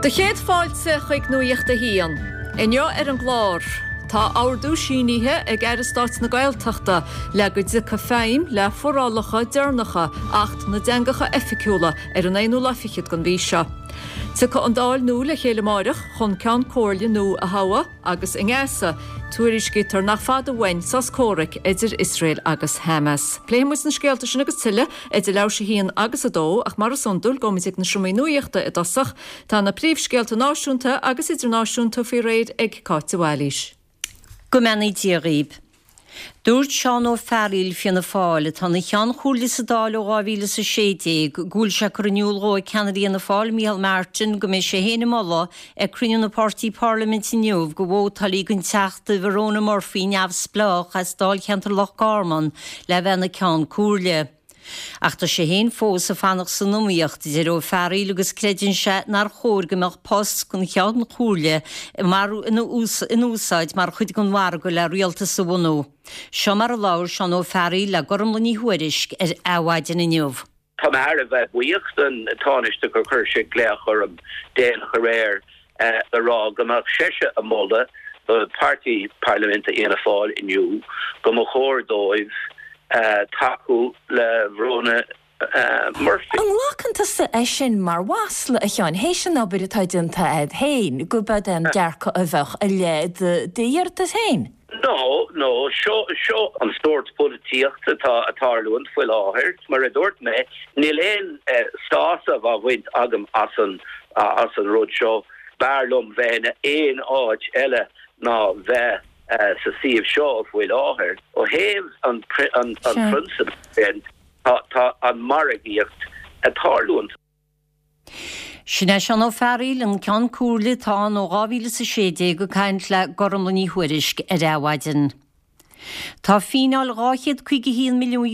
Do chéad fáilte chuig Nuacht a hAon. Inniu ar an gclár, tá ordú sínithe ag Aire Stáit na Gaeltachta le go dtiocfaidh feidhm le forálacha deireanacha Acht na dTeangacha Oifigiúla ar an aonú lá fichead den mhí seo. Tiocfaidh an Dáil nua le chéile amáireach chun Ceann Comhairle nua a thoghadh agus i nGaza, tuairiscítear nach fada uainn sos comhraic idir Iosrael agus Hamas. Pléifidh muid na scéalta sin agus tuilleadh idir leathuair théis a haon agus a dó, ach mar is iondúil, gabhfaimid ag na seomraí nuachta i dtosach. Tá na príomhscéalta náisiúnta agus idirnáisiúnta faoi réir ag Cáit de Bhailís. Go mbeannaí Dia dhaoib. Dúirt Seán Ó Fearghaíl, Fianna Fáil, atá ina Cheann Comhairle sa Dáil ó 2016, go bhfuil sé curtha in iúl dhó ag ceannaire Fhianna Fáil, Micheál Martin, go mbeidh sé féin ag moladh ag cruinniú na páirtí parlaiminte inniu go vótálfaí don Teachta Verona Murphy, Neamhspleách, as dáilcheantar Loch Garman le bheith ina Ceann Comhairle. Ach tá sé féin fós ag fanacht san iomaíocht, a deir Ó Fearghaíl, agus creideann sé nár chóir go mbeadh post an Cheann Comhairle in úsáid mar chuid den mhargadh le rialtas a bhunú. Seo mar a labhair Seán Ó Fearghaíl le Gormlaith Ní Thuairisg ar Adhmhaidin inniu. Tá mé thar a bheith buíoch don Tánaiste gur chuir sé glaoch orm déanach aréir le rá go mbeadh seisean ag moladh do pháirtí parlaiminte Fhianna Fáil inniu go mba chóir dóibh tacú le Verona Murphy. An nglacann tusa é sin mar mhasla, a Sheáin, théis an obair atá déanta a'd féin, go b'ead é an dearcadh a bheadh i leith d'iarratas féin? No, no, seo, seo an sórt polaitíochta atá ag tarlúint faoi láthair. Mar a dúirt mé, níl aon sásamh á bhaint agam as an, as an rud seo. B'fhearr liom bheith in aon áit eile ná bheith sa suíomh seo faoi láthair. Ó thaobh an, an, an phrionsabal sin, tá, tá an margaíocht ag tarlúint. Sin é Seán Ó Fearghaíl, an Ceann Comhairle atá ann ó 2016 ag caint le Gormlaith Ní Thuairisg ar Adhmhaidin. Tá fíneáil €251 milliún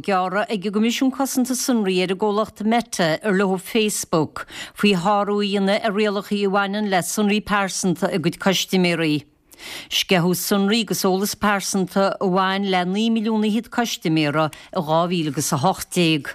gearrtha ag an gCoimisiún Cosanta Sonraí ar an gcomhlacht Meta, ar leo Facebook, faoi shárú a dhéanamh ar rialacha a bhaineann le sonraí pearsanta a gcuid custaiméirí. Sceitheadh sonraí agus eolas pearsanta a bhain le 9 milliún fhichead custaiméara i 2018.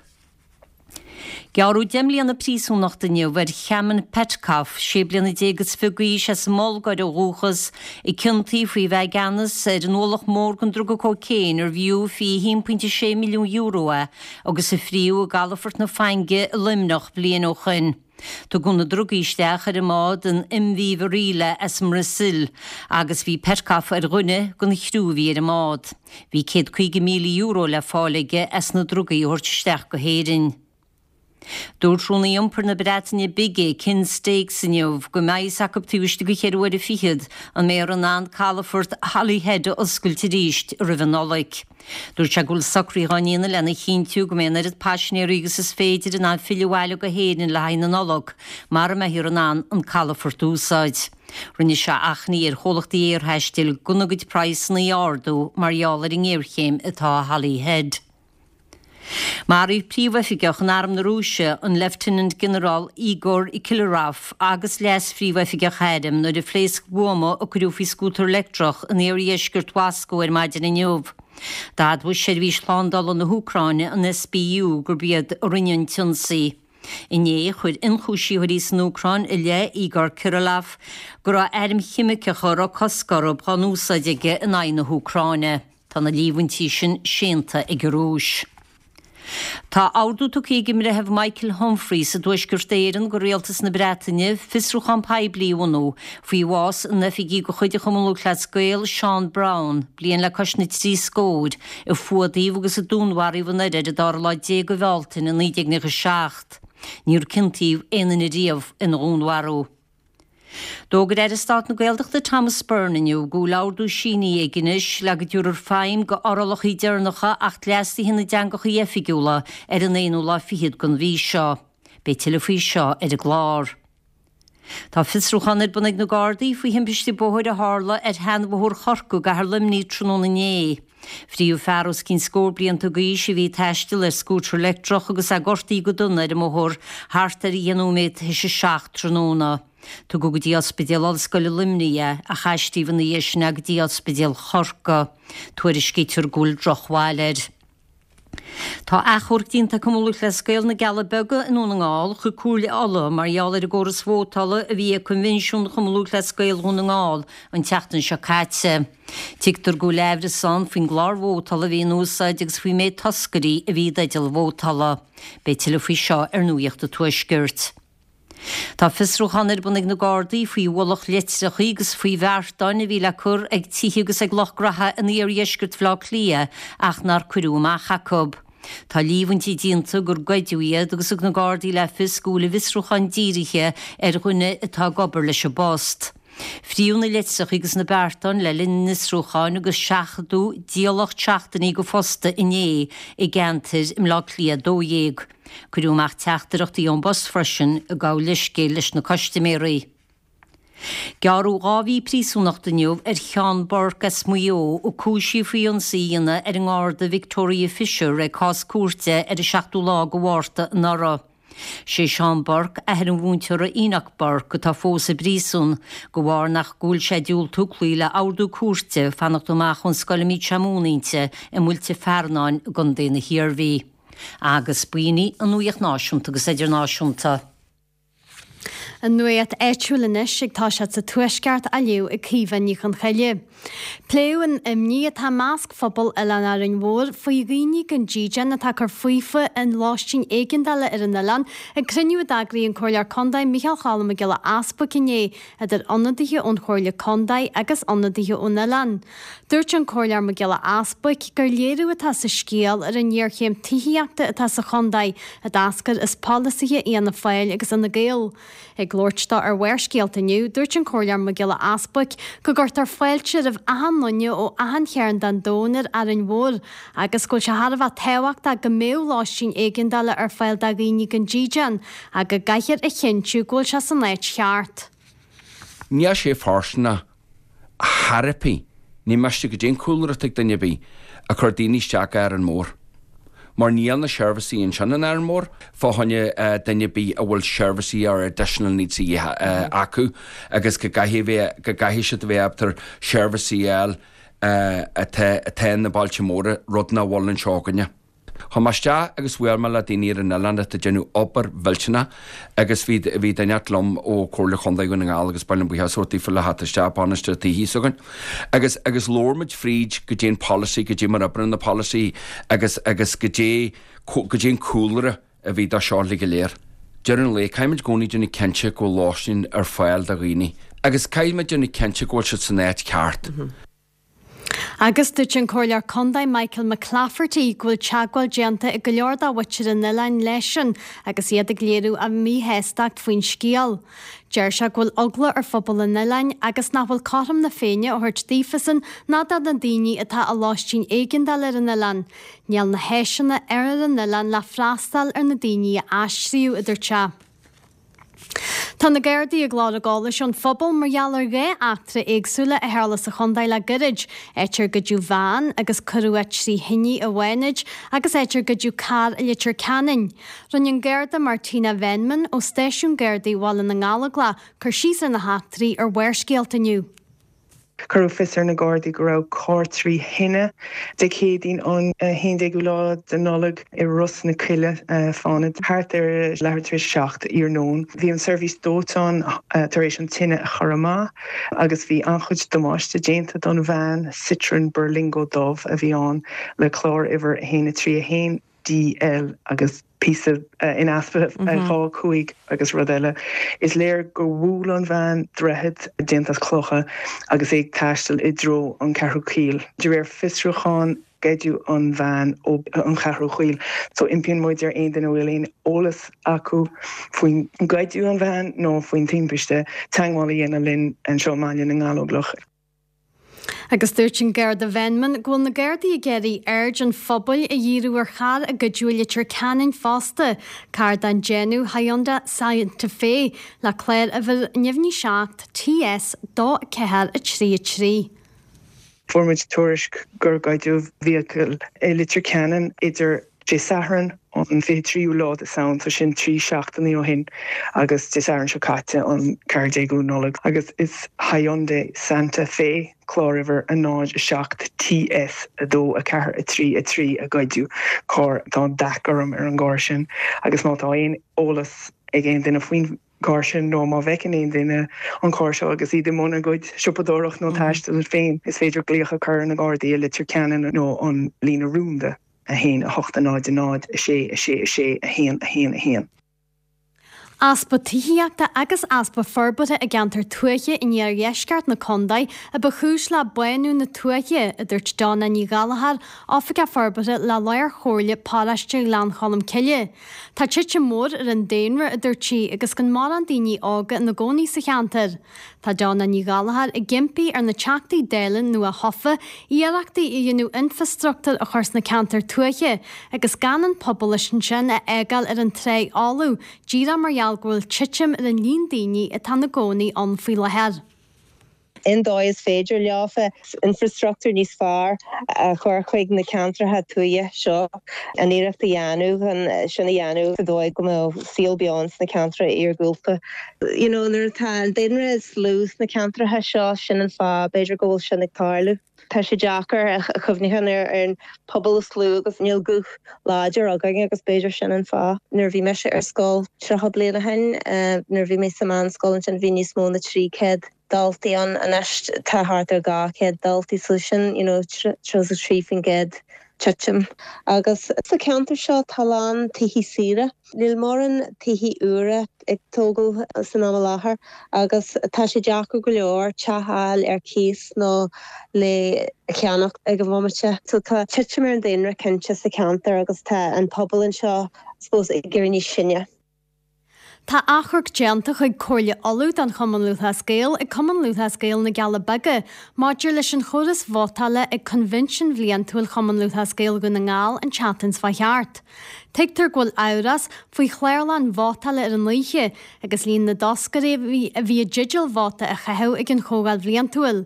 Gearradh 10 mbliana príosúnachta inniu ar Kamen Petkov, 16 bliana is fiche d'aois as an mBulgáir ó dhúchas, a ciontaíodh faoi bheith i gceannas ar an ualach mór den druga cócaon arbh fhiú €21.6 milliún é agus a fríodh i gcalafort na Fainge i Luimneach bliain ó shoin. Tugadh na drugaí isteach ar an mbád an MV Varila as an mBrasaíl agus bhí Petkov ar dhuine den chriú a bhí ar an mbád. Bhí €150,000 le fáil aige as na drugaí a thabhairt isteach go hÉirinn. Dúirt Rúnaí Iompair na Breataine Bige, Ken Stokes inniu go mbeidh fhios acu taobh istigh de cheithre huaire fichead an mbeifear in ann calafort Holyhead a oscailt arís roimh an Nollaig. Dúirt sé go bhfuil socruithe á ndéanamh lena chinntiú go mbeidh an oiread paisinéirí agus is féidir in ann filleadh abhaile go hÉirinn le haghaidh na Nollag, mara mbeifear in ann an calafort a úsáid. Rinne sé achainí ar chomhlachtaí aerthaistil gan a gcuid praghsanna a ardú mar gheall ar an ngéarchéim atá i Holyhead. Maraíodh príomhoifigeach in Arm na Rúise, an Leifteanant-Ghinearál Igor Kirillov, agus leas-phríomhoifigeach airm nuair a phléasc buama a cuireadh faoi scútar leictreach in iardheisceart Mhoscó ar maidin inniu. D'admhaigh seirbhís shlándála na hÚcráine, an SBU, gurb iad a rinne an t-ionsaí. Inné, chuir ionchúisitheoirí san Úcráin i leith Igor Kirillov go raibh airm cheimiceacha a raibh cosc orthu á n-úsáid aige in aghaidh na hÚcráine. Tá na líomhaintí sin séanta ag an Rúis. Tá ordú tugtha ag an mBreitheamh Michael Humphreys i dTuaisceart Éireann go Rialtas na Breataine fiosrúchán poiblí a bhunú faoi bhás an oifigigh de chuid an Chumann Lúthchleas Gael, Seán Brown, bliain le cois na dtrí scór, a fuadaíodh agus a dúnmharaíodh i nDoire ar an dara lá déag de Bhealtaine 1997. Níor ciontaíodh aon duine riamh ina dhúnmharú. D'fhógair Aire Stáit na Gaeltachta Thomas Byrne inniu go bhfuil ordú sínithe aige anois le go dtabharfar feidhm go fhorálacha deireanacha Acht Leasaithe na dTeangacha Oifigiúla ar an aonú lá fichead den mhí seo. Beidh tuilleadh faoi seo ar an gclár. Tá fiosrúchán ar bun ag na Gardaí faoi thimpiste bóthair a tharla ar sheanbhóthar Chorcaí i gcathair Luimnigh tráthnóna inné. Fríodh fear os cionn scór blianta d'aois a bhí ag taisteal ar scútar leictreach agus é gortaithe go dona ar an mbóthar thart ar dheich nóiméad théis a 7 tráthnóna. Tugadh go dtí Ospidéal Ollscoile Luimnigh é ach aistríodh ina dhiaidh sin é go dtí Ospidéal Chorcaí. Tuairiscítear go bhfuil drochbhail air. Tá achomharc déanta ag Cumann Lúthchleas Gael na gCealla Beaga i nDún na nGall chuig Comhairle Uladh mar gheall ar an gcóras vótála a bhí ag Coinbhinsiún Chumann Lúthchleas Gael Dhún na nGall an tseachtain seo caite. Tuigtear go bhfuil aimhreas ann faoin gclár vótála a bhí in úsáid agus faoin méid toscairí a bhí i dteideal vótála. Beidh tuilleadh faoi seo ar Nuacht an Tuaiscirt. Tá fiosrúchán ar bun ag na Gardaí faoi bhrollach litreacha agus faoi bheartáin a bhí le cur ag tithe agus ag lucht graithe in iardheisceart Bhaile Átha Cliath ach nár cuireadh amach acu. Tá líomhaintí déanta gur goideadh iad agus thug na Gardaí le fios go bhfuil a bhfiosrúchán dírithe ar dhuine atá ag obair leis an bpost. Fríodh na litreacha agus na beartáin le linn an fhiosrúcháin agus seachadadh díolacht seachtainí de phost inné i gceantair i mBleá Cliath 12. Cuireadh amach teachtaireachtaí ón bpost freisin ag gabháil leithscéil leis na custaiméirí. Gearradh 2 mhí príosúnachta inniu ar Sheán Burke as Maigh Eo a cúisíodh faoi ionsaí a dhéanamh ar an nGarda Victoria Fisher ag cás cúirte ar an 7ú lá de Mhárta anuraidh. Sé Seán Burke athair an mhúinteora Enoch Burke atá fós i bpríosún de bharr nach go bhfuil sé ag diúltú cloí le ordú cúirte fanacht amach ón scoil a mbíodh sé ag múineadh inti i Muilte Fearnáin i gContae na hIarmhí. Agus b'in í an nuacht náisiúnta agus idirnáisiúnta. An nuacht áitiúil anois ag toiseacht sa Tuaisceart á léamh ag Caoimhe Ní Chonchoille. Pléadh an imní atá i measc phobal Oileán Árainn Mhór faoi dhaoine gan dídean atá ag cur faofa i lóistín éigeandála ar an oileán ag cruinniú a d'eagraigh an Comhairleoir Contae Micheál Cholm Mac Giolla Easbuic inné idir ionadaithe ón Chomhairle Contae agus ionadaithe ón oileán. Dúirt an Comhairleoir Mac Giolla Easbuic gur léiriú atá sa scéal ar an ngéarchéim tithíochta atá sa chontae a d'eascair as polasaithe Fhianna Fáil agus Fhine Gael. Ag labhairt dó ar Bharrscéalta inniu, dúirt an Comhairleoir Mac Giolla Easbuic go gcuirtear fáilte roimh achan nduine ó achan chearn den domhan ar Árainn Mhór agus go bhfuil sé thar a bheith tábhachtach go mbeadh lóistín éigeandála ar fáil do dhaoine gan dídean ach go gcaithfear a chinntiú go bhfuil sé san áit cheart. Níl sé fóirsteanach thar ar bith, ní miste goidé an cúlra atá ag duine ar bith, a chur daoine isteach go Árainn Mhór. Mar níl na seirbhísí ansin in Árainn Mhór fá choinne duine ar bith a bhfuil seirbhísí or additional needs a dhíth acu agus go gcaithfidh bheith, go gcaithfidh siad a bheith ábalta seirbhísí a fháil atá, atá na bailte móra, rud nach bhfuil anseo againne. Chuaigh mé isteach agus bhuail mé le daoine ar an oileán atá ag déanamh obair mhillteanach agus bhí bhí duine inteacht liom ó Comhairle Chontae Dhún na nGall agus ba mhaith liom buíochas a thabhairt daofa le theacht isteach, bainisteoir tithí s'againn. Agus agus labhair muid fríd goidé an polasaí, goidé mar oibríonn na polasaí agus agus goidé goidé an cúlra a bhí dó seo uilig go léir. Deireadh an lae, caithfidh muid i gcónaí déanamh cinnte go bhfuil lóistín ar fáil do dhaoine agus caithfidh muid déanamh cinnte go bhfuil siad san áit ceart. Agus dúirt an Comhairleoir Contae Michael McClafferty go bhfuil teagmháil déanta ag go leor de mhuintir an oileáin leisean agus iad ag léiriú a míshástacht faoin scéal. Deir sé go bhfuil eagla ar phobal an oileáin agus nach bhfuil cothrom na Féinne á thabhairt daofasan ná do na daoine atá i lóistín éigeandála ar an oileán. Níl na háiseanna ar an oileán le freastal ar na daoine a aistríodh, a dúirt sé. Tá na Gardaí ag lorg eolais ón phobal mar gheall ar 2 eachtra éagsúla a tharla sa chontae le gairid, áit ar goideadh veain agus cuireadh trí thine i bhFánaid agus áit ar goideadh carr i Leitir Ceanainn. Rinne an Garda Martina Venman ó Stáisiún Gardaí Bhaile na nGallóglach cur síos ar na heachtraí ar Bharrscéalta inniu. Cuireadh fios ar na Gardaí go raibh carr trí thine Dé Céadaoin an 11ú lá de Nollaig i Ros na Coille, Fánaid, thart ar leathuair tar éis a 7 iarnóin. Bhí an seirbhís dóiteáin tar éis an tine a chur amach agus bhí an-chuid damáiste déanta don veain Citroen Berlingo dubh a bhí ann le clár uimhir 1 3 1. DL agus píosa in easpa 2 5 agus rud eile. Is léir gur bhuail an veain droichead déanta as clocha agus é ag taisteal i dtreo an Cheathrú Caol. De réir fiosrúcháin, goideadh an veain ó an Cheathrú Chaol. So impíonn muid ar aon duine a bhfuil aon eolas acu faoin goideadh an veain nó faoin timpiste teagmháil a dhéanamh linn anseo i mBaile na nGallóglach. Agus dúirt an Garda Venman go bhfuil na Gardaí ag iarraidh aird an phobail a dhíriú ar charr a goideadh i Leitir Ceanainn fosta, carr den déanamh Hyundai Santa Fe le clár uimhir neamhní 7 TS 2 4 3 3. Fuair muid tuairisc gur goideadh vehicle i Leitir Ceanainn idir Dé Sathairn. an 23ú lá de Samhain, so sin 3 seachtainí ó shin, agus Dé Sathairn seo caite, an 14ú Nollaig. Agus is Hyundai Santa Fe, cláruimhir 0 7 TS 2 4 3 3 a goideadh, carr atá dath gorm ar an gcarr sin, agus má tá aon eolas ag aon duine faoin gcarr sin nó má bhfeiceann aon duine an carr seo agus iad i mbun a gcuid siopadóireacht nó taistil féin, is féidir glaoch a chur ar na Gardaí i Leitir Ceanainn nó an líne rúnda, 1 8 0 0 6 6 6 1 1 1. Easpa tithíochta agus easpa forbartha i gceantar tuaithe in iardheisceart na contae a ba chúis le bánú na tuaithe, a dúirt Donna Ní Ghallchóir, Oifigeach Forbartha le Lár-Chomhairle Paróiste Ghleann Cholm Cille. Tá titim mhór ar an daonra, a dúirt sí, agus gan mórán daoine óga ina gcónaí sa cheantar. Tá Donna Ní Ghallchóir ag impí ar na Teachtaí Dála nua-thofa iarrachtaí a dhéanamh infreastruchtúr a chur sna ceantair tuaithe agus gan an pobal ansin a fhágáil ar an tráigh fholamh díreach mar gheall go bhfuil titim ar an líon daoine atá ina gcónaí ann faoi láthair. Aon dóigh is féidir leofa infreastruchtúr níos fearr a chur chuig na ceantracha tuaithe seo, an iarracht a dhéanamh chun sin a dhéanamh sa dóigh go mbeadh saol beo ins na ceantracha iargúlta. You know nuair atá an daonra is lú sna ceantracha seo, sin an fáth b'fhéidir go bhfuil sin ag tarlú. Tá sé deacair a chuimhneachán ar an pobal is lú agus níl guth láidir againn agus b'fhéidir sin an fáth. Nuair a bhí mise ar scoil 30 bliain ó shin, nuair a bhí mé sa meánscoil ansin bhí níos mó na 300 daltaí ann, anois tá thart ar 200 daltaí so sin you know 33% titim. Agus sa cheantar seo tá a lán tithe saoire. Níl mórán tithe úra ag tógáil san am i láthair agus tá sé deacair go leor teach a fháil ar cíos nó le ceannacht ag an bhomaite. So tá titim ar an daonra cinnte sa cheantar agus tá an pobal anseo I suppose ag éirí níos sine. Tá achomharc déanta chuig Comhairle Uladh don Chumann Lúthchleas Gael ag Cumann Lúthchleas Gael na gCealla Beaga maidir leis an chóras vótála ag Coinbhinsean Bhliantúil Chumann Lúthchleas Gael Dhún na nGall an tseachtain seo thart. Tuigtear go bhfuil amhras faoi chlárlann vótála ar an oíche agus líon na dtoscairí a bhí i dteideal vóta a chaitheamh ag an Chomhdháil Bhliantúil.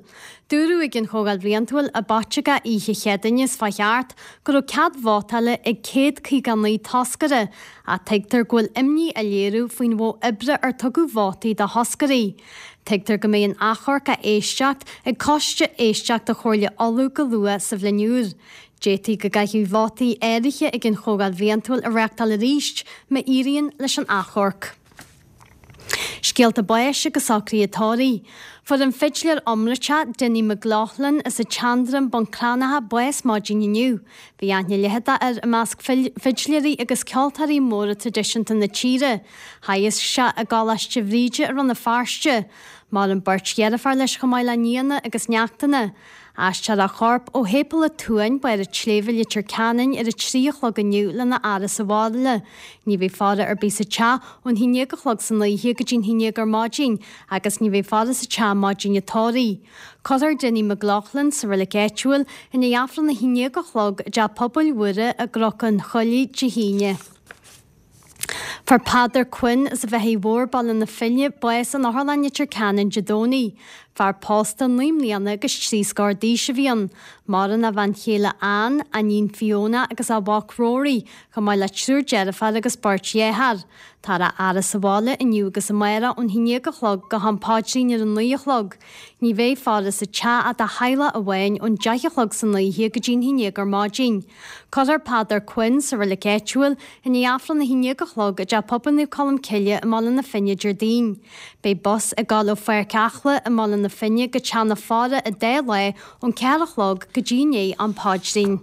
Dúradh ag an Chomhdháil Bhliantúil i bPaiteagá oíche Chéadaoine seo thart go raibh cead vótála ag 159 toscaire ach tuigtear go bhfuil imní á léiriú faoin mhodh oibre ar tugadh vótaí do thoscairí. Tuigtear go mbeidh an achomharc á éisteacht ag Coiste Éisteachta Chomhairle Uladh go luath sa bhliain úr. D'fhéadfaí go gcaithfí vótaí áirithe ag an Chomhdháil Bhliantúil a reáchtáil arís má éiríonn leis an achomharc. Scéalta báis agus socruithe tórraimh. Fuair an fidléir iomráiteach Dinny McLaughlin as an tSeandroim, Bun Cranncha, bás maidin inniu. Bhí aithne leitheadach air i measc fidléirí agus ceoltóirí móra traidisiúnta na tíre. Theagasc sé i gColáiste Bhríde i Rann na Feirste. Maireann beirt dheirféar leis chomh maith le nianna agus neachtanna. Aistreofar a chorp ó Shéipéal an tSuain, Barr an tSléibhe, Leitir Ceanainn ar a 3 a chlog inniu lena fhaire sa bhaile. Ní bheidh faire ar bith sa teach ón haon déag a chlog san oíche go dtí'n haon déag ar maidin agus ní bheidh faire sa teach maidin an tórraimh. Cuirfear Dinny McLaughlin sa reilig áitiúil i ndiaidh Aifreann a haon déag a chlog i dTeach Pobail Mhuire i gCnoc an Choilligh Dé hAoine. Fuair Peadar Quinn as an Bheithigh Mhór, Baile na Finne, bás in Otharlann Leitir Ceanainn Dé Domhnaigh. Fear pósta 9 mbliana agus 3 scór d'aois a bhí ann. Maireann a bhean chéile Ann, a iníon Fiona agus a mhac Rory, chomh maith le triúr deirféar agus beirt dhearthár. Táthar á fhaire sa bhaile inniu agus amárach ón haon déag a chlog go ham paidrín ar a 9 a chlog. Ní bheidh faire sa teach ach do theaghlach amháin ón deich a chlog san oíche go dtí'n haon déag ar maidin. Cuirfear Peadar Quinn sa reilig áitiúil i ndiaidh Aifreann a haon déag a chlog i dTeach Pobail Naomh Colm Cille i mBaile na Finne Déardaoin. Beidh bus ag gabháil ó Pháirc Eachla i mBaile na Finne go teach na faire an dá lá ón ceathair a chlog go dtí i ndiaidh am paidrín.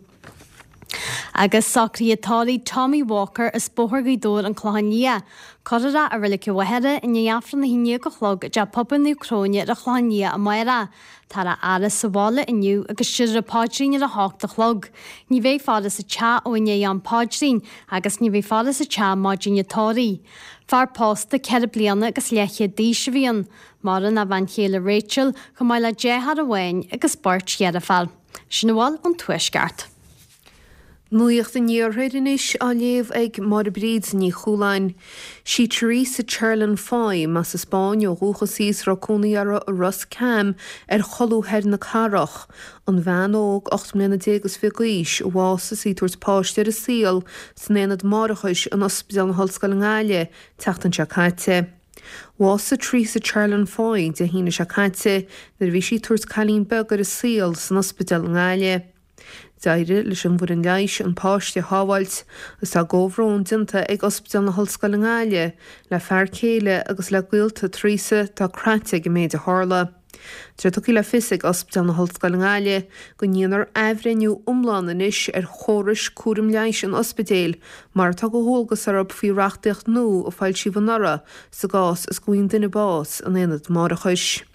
Agus socruithe tórraimh Tommy Walker as Bóthar Ghaoth Dobhair An Clochán Liath. Cuirfear é i Reilig an Mhachaire i ndiaidh Aifreann a haon déag a chlog i dTeach Pobail Naomh Cróine ar an Chlochán Liath amárach. Táthar á fhaire sa bhaile inniu agus déarfar an paidrín ar a hocht a chlog. Ní bheidh faire sa teach ó i ndiaidh am paidrín agus ní bheidh faire sa teach maidin an tórraimh. Fear pósta 4 bliana agus leathchéad d'aois a bhí ann. Maireann a bhean chéile Rachel chomh maith le deartháir amháin agus beirt dheirféar. Sin a bhfuil ón Tuaisceart. Nuacht an Iarthair anois á léamh ag Máire Bríd Ní Chualáin. Sí Teresa Charlin Foy, as an Spáinn ó dhúchas í is a raibh cónaí uirthi i Ros Cam ar cholbha thoir na cathrach, an bhean óg 18 mbliana is fiche d'aois a bhásaigh is í ag tabhairt páiste ar an saol san Aonad Máithreachais in Ospidéal na hOllscoile i nGaillimh tseachtain seo caite. Bhásaigh Teresa Charlin Foy Dé hAoine seo caite nuair a bhí sí ag tabhairt cailín beag ar an saol san ospidéal i nGaillimh. D'éirigh leis an bhfoireann leighis an páiste a shábháilt agus tá comhbhrón déanta ag Ospidéal na hOllscoile i nGaillimh le fear céile agus le gaolta Theresa atá craite ag an méid a tharla. Tá sé tugtha le fios ag Ospidéal na hOllscoile i nGaillimh go ndéanfar athbhreithniú iomlán anois ar chórais cúraim leighis an ospidéil mar atá de dhualgas orthu faoi reachtaíocht nua a foilsíodh anuraidh sa gcás is go bhfaigheann duine bás in aonad máithreachais.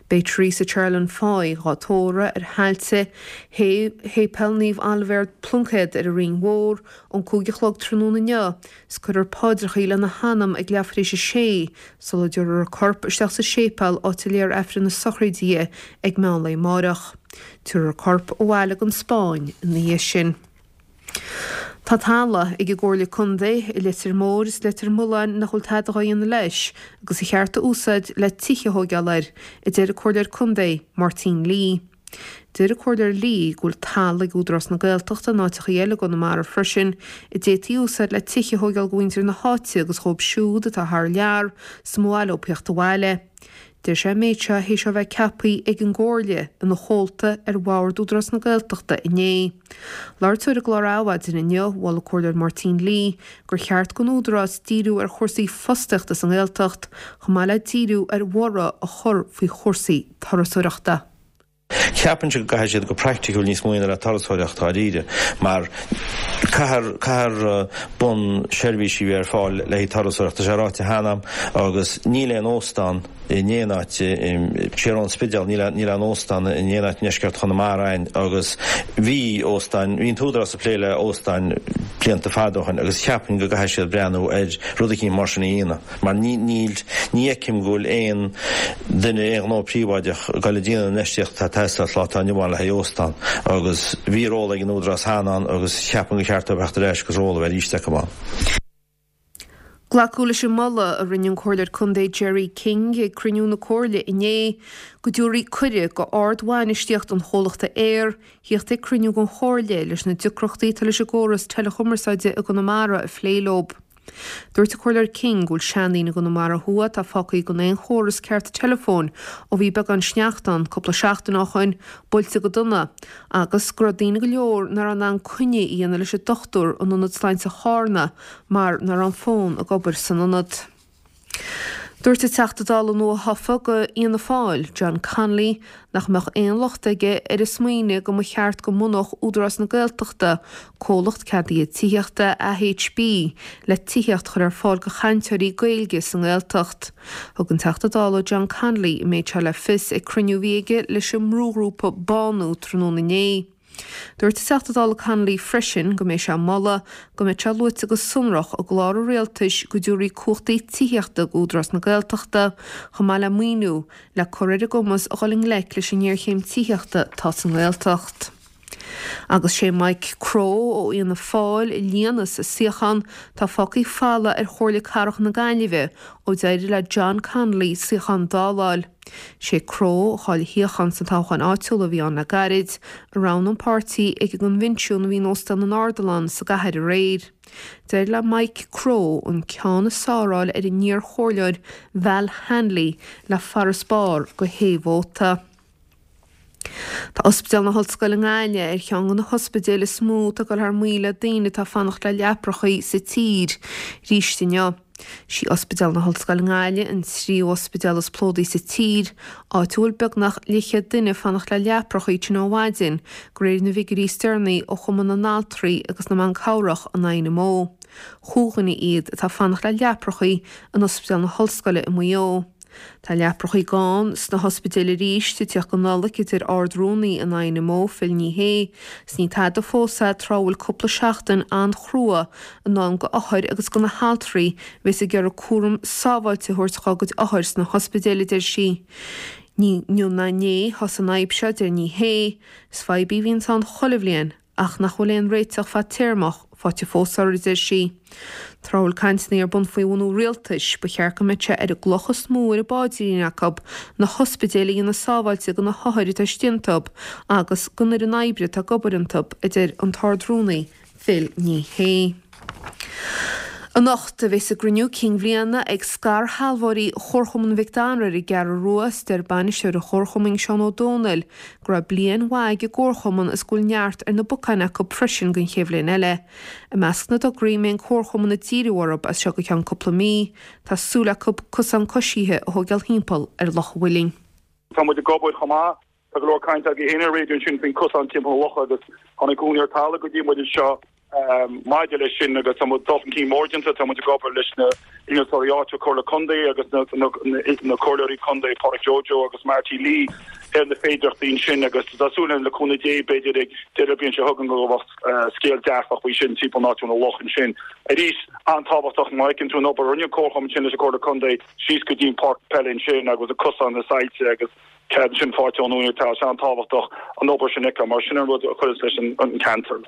Beidh Teresa Charlin Foy dhá tórramh ar thailte Shéipéal Naomh Oilibhéar Pluincéad ar an Rinn Mhór ón 5 a chlog tráthnóna inniu is cuirfear paidreachaí lena hanam ag leathuair tar éis a sé sula dtabharfar a corp isteach sa séipéal áit a léifear Aifreann na sochraide di ag meán lae amáireach. Tabharfar a corp abhaile gon Spáinn ina dhiaidh sin. Tá talamh ag an gComhairle Contae i Leitir Móir is Leitir Mealláin nach bhfuil tada dhá dhéanamh leis agus ar cheart a úsáid le tithe a thóigeáil air, a deir an Comhairleoir Contae, Máirtín Lee. Deir an Comhairleoir Lee go bhfuil talamh ag Údarás na Gaeltachta in áiteachaí eile i gConamara freisin a d'fhéadfaí a úsáid le tithe a thóigeáil do mhuintir na háite agus dhóibh siúd atá thar lear is mba mhaith leo theacht abhaile. Deir sé an méid seo théis dó bheith ceaptha ag an gComhairle ina chomhalta ar Bhord Údarás na Gaeltachta inné. Labhairt dó ar an gclár Adhmhaidin inniu, mhol an Comhairleoir Máirtín Lee gur cheart don Údarás díriú ar chúrsaí fostaíochta sa nGaeltacht chomh maith le díriú ar bhorradh a chur faoi chúrsaí turasóireachta. Ceapainnse go gcaithfidh siad go praiticiúil níos mó a dhéanamh le turasóireacht dáiríre mar caithfear caithfear bun seirbhísí a bheith ar fáil le haghaidh turasóireacht. Tá sé ráite cheana agam agus níl aon óstán in aon áit siar ón Spidéal, níl níl aon óstán in aon áit i ndeisceart Chonamara againn agus bhí óstáin, bhí an t-údarás ag plé le óstáin blianta fada ó shin agus cheapfainn go gcaithfidh siad breathnú ar rud eicínt mar sin a dhéanamh. Mar ní, níl, ní fheicim go bhfuil aon duine, aon ghnó príobháideach ag dul ag déanamh an infheistíocht atá ag teastáil sa lá atá inniu ann le haghaidh óstán. Agus bhí ról ag an Údarás cheana ann agus cheapfainn gur cheart dóibh theacht ar ais agus ról a bheith arís acu ann. Glacadh leis an moladh a rinne an Comhairleoir Contae Gerry King ag cruinniú na Comhairle inné go dtabharfaí cuireadh go ard-bhainistíocht an chomhlachta Eir thíocht ag cruinniú den Chomhairle leis na deacrachtaí atá leis an gcóras teileachumarsáide i gConamara a phlé leo. Dúirt an Comhairleoir King go bhfuil seandaoine i gConamara Thuaidh atá fágtha gan aon chóras ceart teileafóin ó bhí beagán sneachta ann cúpla seachtain ó shoin, buailte go dona, agus go raibh daoine go leor nach raibh in ann coinne a dhéanamh leis an dochtúir in Ionad Sláinte Charna mar nach raibh an fón ag obair san ionad. Dúirt an Teachta Dála nua-thofa go Fhianna Fáil, John Connolly, nach mbeadh aon locht aige ar an smaoineamh go mba cheart go mbunódh Údarás na Gaeltachta comhlacht ceadaithe tithíochta, AHB, le tithíocht a chur ar fáil do chainteoirí Gaeilge sa nGaeltacht. Thug an Teachta Dála John Connolly an méid seo le fios ag cruinniú a bhí aige leis an mbrúghrúpa Bánú tráthnóna inné. Dúirt an Teachta Dála Connolly freisin go mbeidh sé ag moladh go mbeadh sé luaite go sonrach i gclár an rialtais go dtabharfaí cumhachtaí tithíochta d'Údarás na Gaeltachta chomh maith le maoiniú le cur ar a gcumas a dhul i ngleic leis an ngéarchéim tithíochta atá sa nGaeltacht. Agus sé Mike Crowe ó Fhianna Fáil a líonfas an suíochán atá fágtha folamh ar Chomhairle Cathrach na Gaillimhe ó d'éirigh le John Connolly suíochán d'fháil. Sé Crowe, a chaill a shuíochán sna toghcháin áitiúla a bhí ann le gairid, a roghnaigh an páirtí ag an gcoinbhinsiún a bhí in Óstán an Ardilaun sa gcathair aréir. D'éirigh le Mike Crowe an ceann is fearr a fháil ar an iar-chomhairleoir Val Hanley le farasbarr de shé vóta. Tá Ospidéal na hOllscoile i nGaillimh ar cheann de na hospidéil is mó atá ag dul thar maoil le daoine atá ag fanacht le leaprachaí sa tír arís inniu. Sí Ospidéal na hOllscoile i nGaillimh an tríú ospidéal is plódaí sa tír, áit a bhfuil beagnach leathchéad duine ag fanacht le leaprachaí tinn ó mhaidin, de réir na bhfigiúirí is deireanaí ó Chumann na nAltraí agus na mBan Cabhrach, an INMO. Chúig dhuine iad atá ag fanacht le leaprachaí in Ospidéal na hOllscoile i Maigh Eo. Tá leaprachaí gann sna hospidéil arís ag tíocht don Nollaig, a deir Ard-Rúnaí an INMO, Phil Ní Sheaghdha, 's ní tada fós é tráth a bhfuil cúpla seachtain an-chrua i ndán go othair agus go na haltraí a bheas ag iarraidh cúram sábháilte a thabhairt dhá gcuid othair sna hospidéil, a deir sí. Ní inniu ná inné a thosaigh an fhadhb seo, a deir Ní Shé. Is fadhb í a bhíonns ann chuile bhliain. Ach nach bhfuil aon réiteach fadtéarmach faighte fós orthu, a deir sí. Tráth a bhfuil cainteanna ar bun faoi bhunú rialtais, ba cheart go mbeadh sé ar an gcloch is mó ar a bpaidrín acu na hospidéil a dhéanamh sábháilte do na hothair atá istigh iontu agus don fhoireann oibre atá ag obair iontu, a deir an tArd-Rúnaí Phil Ní Sheaghdha. Anocht a bheas a gcruinniú cinn bhliana ag scairshealbhóirí Chomharchumann Mhic Dara ar an gCeathrú Rua is deir bainisteoir an Chomharchumainn Seán Ó Dónaill go raibh bliain mhaith ag an gComharchumann is go bhfuil neart ar na bacáin acu freisin don chéad bhliain eile. I measc na dtograí a mbeidh an Comharchumann ag díriú orthu as seo go ceann cúpla mí, tá súil acu cosán coisithe a thóigeáil thimpeall ar Loch an Mhuilinn. Tá muid ag obair chomh maith Tá go leor cainte agaibh féin ar an raidió ansin faoin cosán timpeall na locha agus tháinig úinéir talaimh go dtí muid anseo maidir leis sin agus tá muid dul chun cinn mór déanta, tá muid ag obair leis na innealtóirí áitiúil Comhairle Contae agus na comhairleoirí contae Pádraic Joe Joe agus Marty Lee ar na féidearthachtaí ansin agus tá súil againn le cúnamh Dé b'fhéidir ag deireadh bliain seo chugainn go mbeadh scéal dearfach faoi sin timpeall an áit na loch ansin. Arís, an-tábhachtach má fheiceann tú an obair a rinne an comharchumann ansin leis an Comhairle Contae síos go dtí an páirc peile ansin agus an cosán na saillte agus Cead sin faighte ón úinéir tá sé an-tábhachtach an obair sin a fheiceáil mar sin an rud a chuireas leis an ceantar.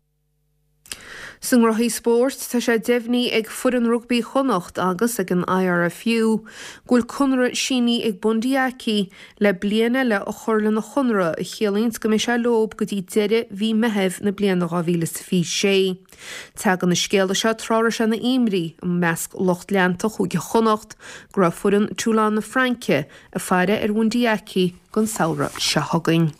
Sna gnóthaí spóirt, tá sé deimhnithe ag foireann rugbaí Chonnacht agus ag an IRFU go bhfuil conradh sínithe ag Bundee Aki le bliain eile a chur lena chonradh, a chiallaíonns go mbeidh sé leob go dtí deireadh mhí Meithimh na bliana 2026. Tagann an scéala seo tráth a raibh sé ina imní i measc lucht leanta Chúige Chonnacht go raibh foireann Toulon na Fraince ag faire ar Bhundee Aki don samhradh seo chugainn.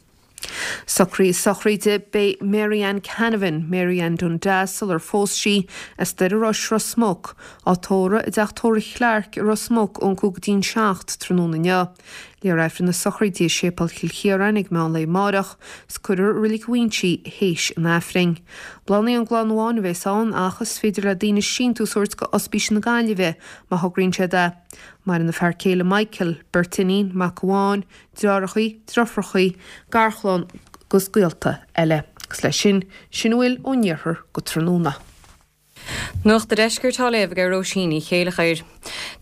Socruithe sochraide Beidh Mary Ann Canavan, Mary Ann Dundas sular phós sí, as Doire Rois, Ros Muc, á tórramh i dteach tórraimh Chlarke i Ros Muc ón 5 go dtí'n 7 tráthnóna inniu. Léifear Aifreann na sochraide i Séipéal Chill Chiaráin ag meán lae amáireach 's cuirfear i Reilig Mhuinsí théis an Aifrinn. Bláthanna ón gclann amháin a bheas ann ach is féidir le daoine síntiús a thabhairt go Ospís na Gaillimhe má thograíonn siad é. Maireann a fear céile Michael, beirt iníon, mac amháin, deartháireachaí, deirfiúrachaí, garchlann 'gus gaolta eile. Agus leis sin, sin a bhfuil ón iarthar go tráthnóna. Nuacht an Deiscirt á léamh ag Róisín Ní Chéileachair.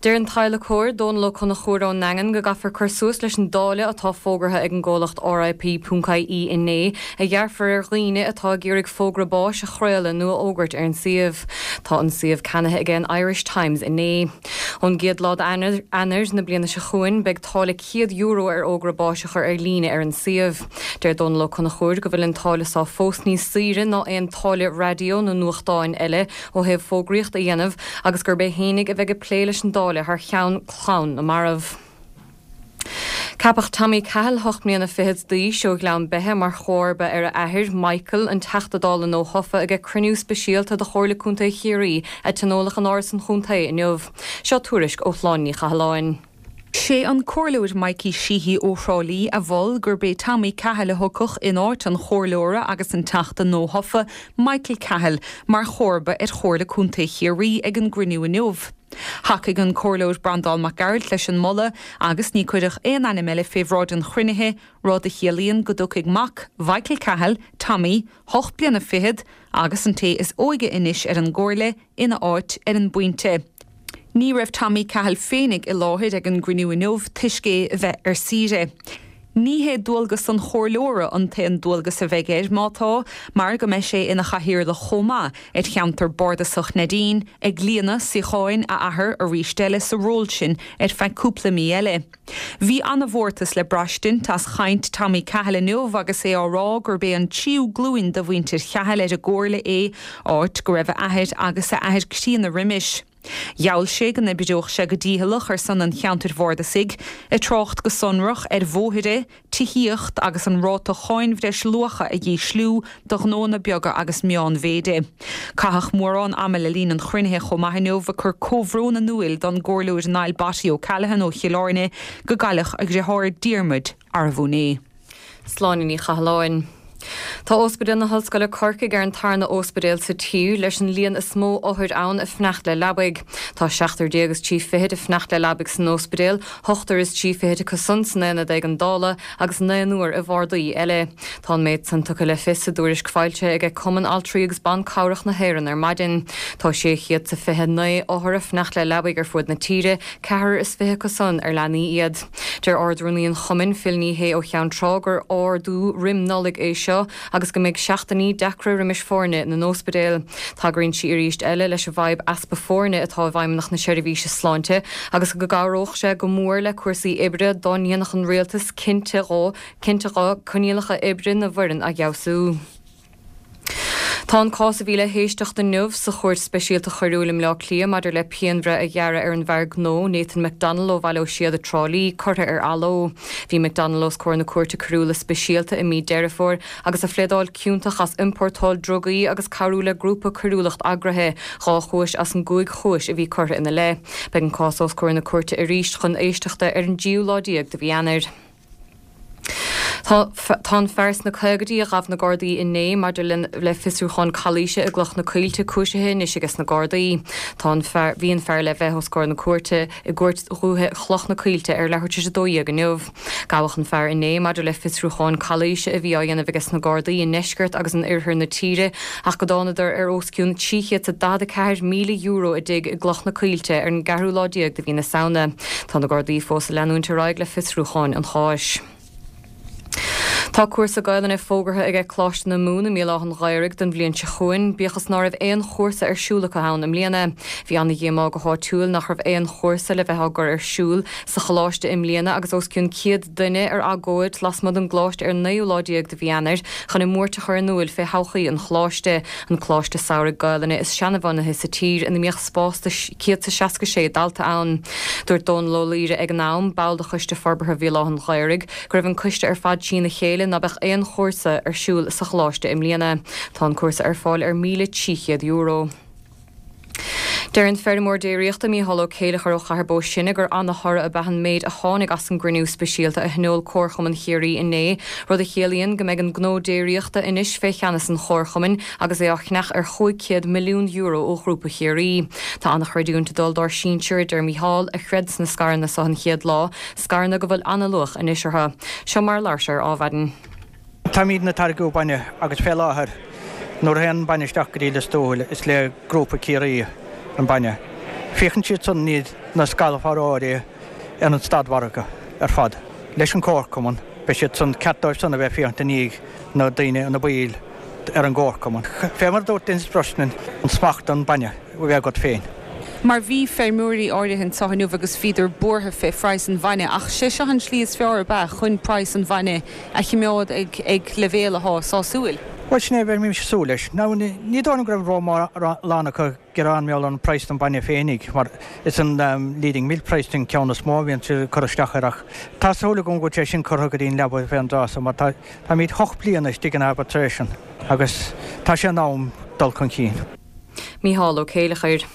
Deir an t-adhlacóir, Dónal Ó Conchúir ón nDaingean go gcaithfear cur suas leis an dtáille atá fógartha ag an gcomhlacht RIP.ie inné, a ghearrfar ar dhaoine atá ag iarraidh fógra báis a chraoladh nó a fhógairt ar an suíomh. Tá an suíomh ceannaithe ag an Irish Times inné. Ón gcéad lá d'Eanáir na bliana seo chugainn, beidh táille €100 ar fhógra báis a chur ar líne ar an suíomh. Deir Dónal Ó Conchúir go bhfuil an táille seo fós níos saoire ná aon táille raidió nó nuachtáin eile ó thaobh fógraíocht a dhéanamh agus gurb é fhéinig a bheidh ag plé leis an dtáille thar cheann clann na marbh. Ceapadh Tommy Cahill, hocht mbliana fichead d'aois, ó Ghleann Beithe mar chomharba ar a athair, Michael, an Teachta Dála nuathofa, ag cruinniú speisialta de Chomhairle Contae Chiarraí a tionóladh in Áras an Chontae inniu. Seo tuairisc ó Shláine Ní Chathalláin. Sé an Comhairleoir Mikey Sheehy ó Thrá Lí a mhol gurb é Tommy Cahill a thiocfadh in áit an chomhairleora agus an Teachta nuathofa, Michael Cahill, mar chomharba ar Chomhairle Contae Chiarraí ag an gcruinniú inniu. Thacaigh an Comhairleoir Breandán Mac Gearailt leis an moladh agus ní cuireadh aon ainm eile fé bhráid an chruinnithe, rud a chiallaíonn go dtiocfaidh mac Mhichael Cahill, Tommy, hocht bliana fichead, agus an té is óige anois ar an gComhairle, ina áit ar an bpointe. Ní raibh Tommy Cahill féinig i láthair ag an gcruinniú inniu toisc é a bheith ar saoire. Ní hé dualgas an chomhairleora an t-aon dualgas a bheidh air, má tá, mar go mbeidh sé ina chathaoirleach chomh maith ar cheantar bardasach Neidín, ag líonadh suíocháin a athar arís eile sa ról sin ar feadh cúpla mí eile. Bhí ana-mhórtas le braistint as chaint Tommy Cahill inniu agus é á rá gurb é an tríú glúin de mhuintir Chahill ar an gcomhairle é, áit go raibh a athair agus a athair críonna roimis. Gheall sé go n-oibreodh sé go dícheallach ar son an cheantair bhardasaigh, ag trácht go sonrach ar bhóithre, tithíocht agus an ráta cháin bhreis luacha a dhísliú do ghnóanna beaga agus meánmhéide. Caitheadh mórán ama le linn an chruinnithe chomh maith inniu ag cur comhbhrón in úil don gComhairleoir Niall 'Botty' O'Callaghan ó Chill Airne go gcailleadh a dheartháir Diarmuid arbh inné. Sláine Ní Chathalláin. Tá Ospidéal na hOllscoile Corcaigh ar an tarna óspidéal sa tír leis an líon is mó othair ann ag fanacht le leabaidh. Tá seachtar déag is trí fichid ag fanacht le leabaidh san óspidéal, ochtar is trí fichid acu san san aonad éigeandála agus naonúr i bhardaí eile. Tá an méid san tugtha le fios i dtuairisc foilsithe aige Cumann Altraí agus Ban Cabhrach na hÉireann ar maidin. Tá 629 othar ag fanacht le leabaidh ar fuaid na tíre, ceathrar is 20 acu san ar leanaí iad. Deir Ard-Rúnaí an Chumainn, Phil Ní Sheaghdha ó Cheann Trá, gur ardú roim Nollaig é seo. seo agus go mbeidh seachtainí deacra roimis foirne na n-óspidéal. Tagraíonn sí arís eile leis an bhfadhb easpa foirne atá i bhFeidhmeannacht na Seirbhíse Sláinte agus go gcabhródh sé go mór le cúrsaí oibre dá ndéanfadh an Rialtas cinnte dhó cinnte dho coinníollacha oibre na bhfoireann a fheabhsú. Tá an cás a bhí le héisteacht inniu sa Chúirt Speisialta Choiriúil i mBleá Cliath maidir le pianbhreith a ghearradh ar an bhfear gnó, Nathan McDonnell ó Bhaile Ó Síoda, Trá Lí, curtha ar athló. Bhí McDonnell os comhair na Cúirte Coiriúla Speisialta i mí Deireadh Fómhair agus a phléadáil ciontach as iompórtáil drugaí agus cabhrú le grúpa coiriúlacht eagraithe, 2 chúis as an gcúig chúis a bhí curtha ina leith. Beidh an cás os comhair na cúirte arís chun éisteachta ar an dtríú lá déag de mhí Eanáir. Tá an fear sna caogaidí a ghabh na Gardaí inné maidir le fiosrúchán calaoise i gCloch na Coillte cúisithe anois aige sna Gardaí. Tá an fear, bhí an fear le bheith os comhair na cúirte i gCúirt Dhúiche Chloch na Coillte ar leathuair tar éis 12 inniu. Gabhadh an fear inné maidir le fiosrúchán calaoise a bhí á dhéanamh aige sna Gardaí i ndeisceart agus in oirthear na tíre ach go dtánadar ar os cionn €344,000 i dtigh i gCloch na Coillte ar an gceathrú lá déag de mhí na Samhna. Tá na Gardaí fós ag leanúint ar aghaidh le fiosrúcháin an cháis. Tá cúrsa Gaelainne fógartha aige Coláiste na Mumhan i mBéal Átha an Ghaorthaidh don bhliain seo chugainn, bíodh is ná raibh aon chúrsa ar siúl acu ann i mbliana. Bhí ana-dhíomá go háitiúil nach raibh aon chúrsa le bheith á gcur ar siúl sa choláiste i mbliana agus os cionn 100 duine ar agóid lasmuigh den gcoláiste ar an naoú lá déag de mhí Eanáir chun a mbuairt a chur in úil fé thodhchaí an choláiste. An coláiste samhraidh Gaelainne is seanabhunaithe sa tír ina mbíodh spás do 166 dalta ann. Dúirt Dónal Ó Laoire ag an am, ball de Choiste Forbartha Bhéal Átha an Ghaorthaidh, go raibh an coiste ar fad trína chéile ná beadh aon chúrsa ar siúl sa choláiste i mbliana. Tá an cúrsa ar fáil ar €1,300. Deir an feirmeoir déiríochta Mícheál Ó Céileachair ó Chathair Bó Sine gur ana-thoradh ab ea an méid a tháinig as an gcruinniú speisialta a thionóil Comharchumann Chiarraí inné, rud a chiallaíonn go mbeidh an gnó déiríochta anois fé cheannas an Chomharchumainn agus é á cheannach ar €500 milliún ó Ghrúpa Chiarraí. Tá ana-chreidiúint ag dul dár sinsir, a deir Mícheál, a chreid sna scaireanna so an chéad lá, scaireanna go bhfuil ana-luach anois orthu. Seo mar a labhair sé ar Adhmhaidin. Táimidne ag táirgeadh bainne agus fé láthair nuair a théann bainne isteach go dtí Lios Tuathail is le Grúpa Ciarraí an bainne. Féachann siad san iad na scairshealbhóirí ar an stadmhargadh ar fad. Leis an Chomharchumann beidh siad san ceart dóibh san a bheith féachaint i ndiaidh na daoine ina baill ar an gComharchumann. Fé mar a dúirt Denis Brosnan an smacht an bainne a bheith agat féin. Mar bhí feirmeoirí áirithe anseo inniu agus bhíodar buartha fé phraghas an bhainne ach sé seo an slí is fearr ab ea chun praghas an bhainne a chimeád ag leibhéal athá sásúil. Bhuel sin é a bheimis ag súil leis. Now ní dóigh liom go raibh ró-mórán acu ag gearán mar gheall ar an praghas don bhainne féinig mar is an leading milk price an ceann is mó a bhíonn siad ag cur isteach air ach tá súil agam go bhfuil sé sin curtha go dtí an leaba fén dtráth so mar tá táimid hocht bliana istigh in arbitration agus tá sé in am dul chun cinn. Mícheál Ó Céileachair.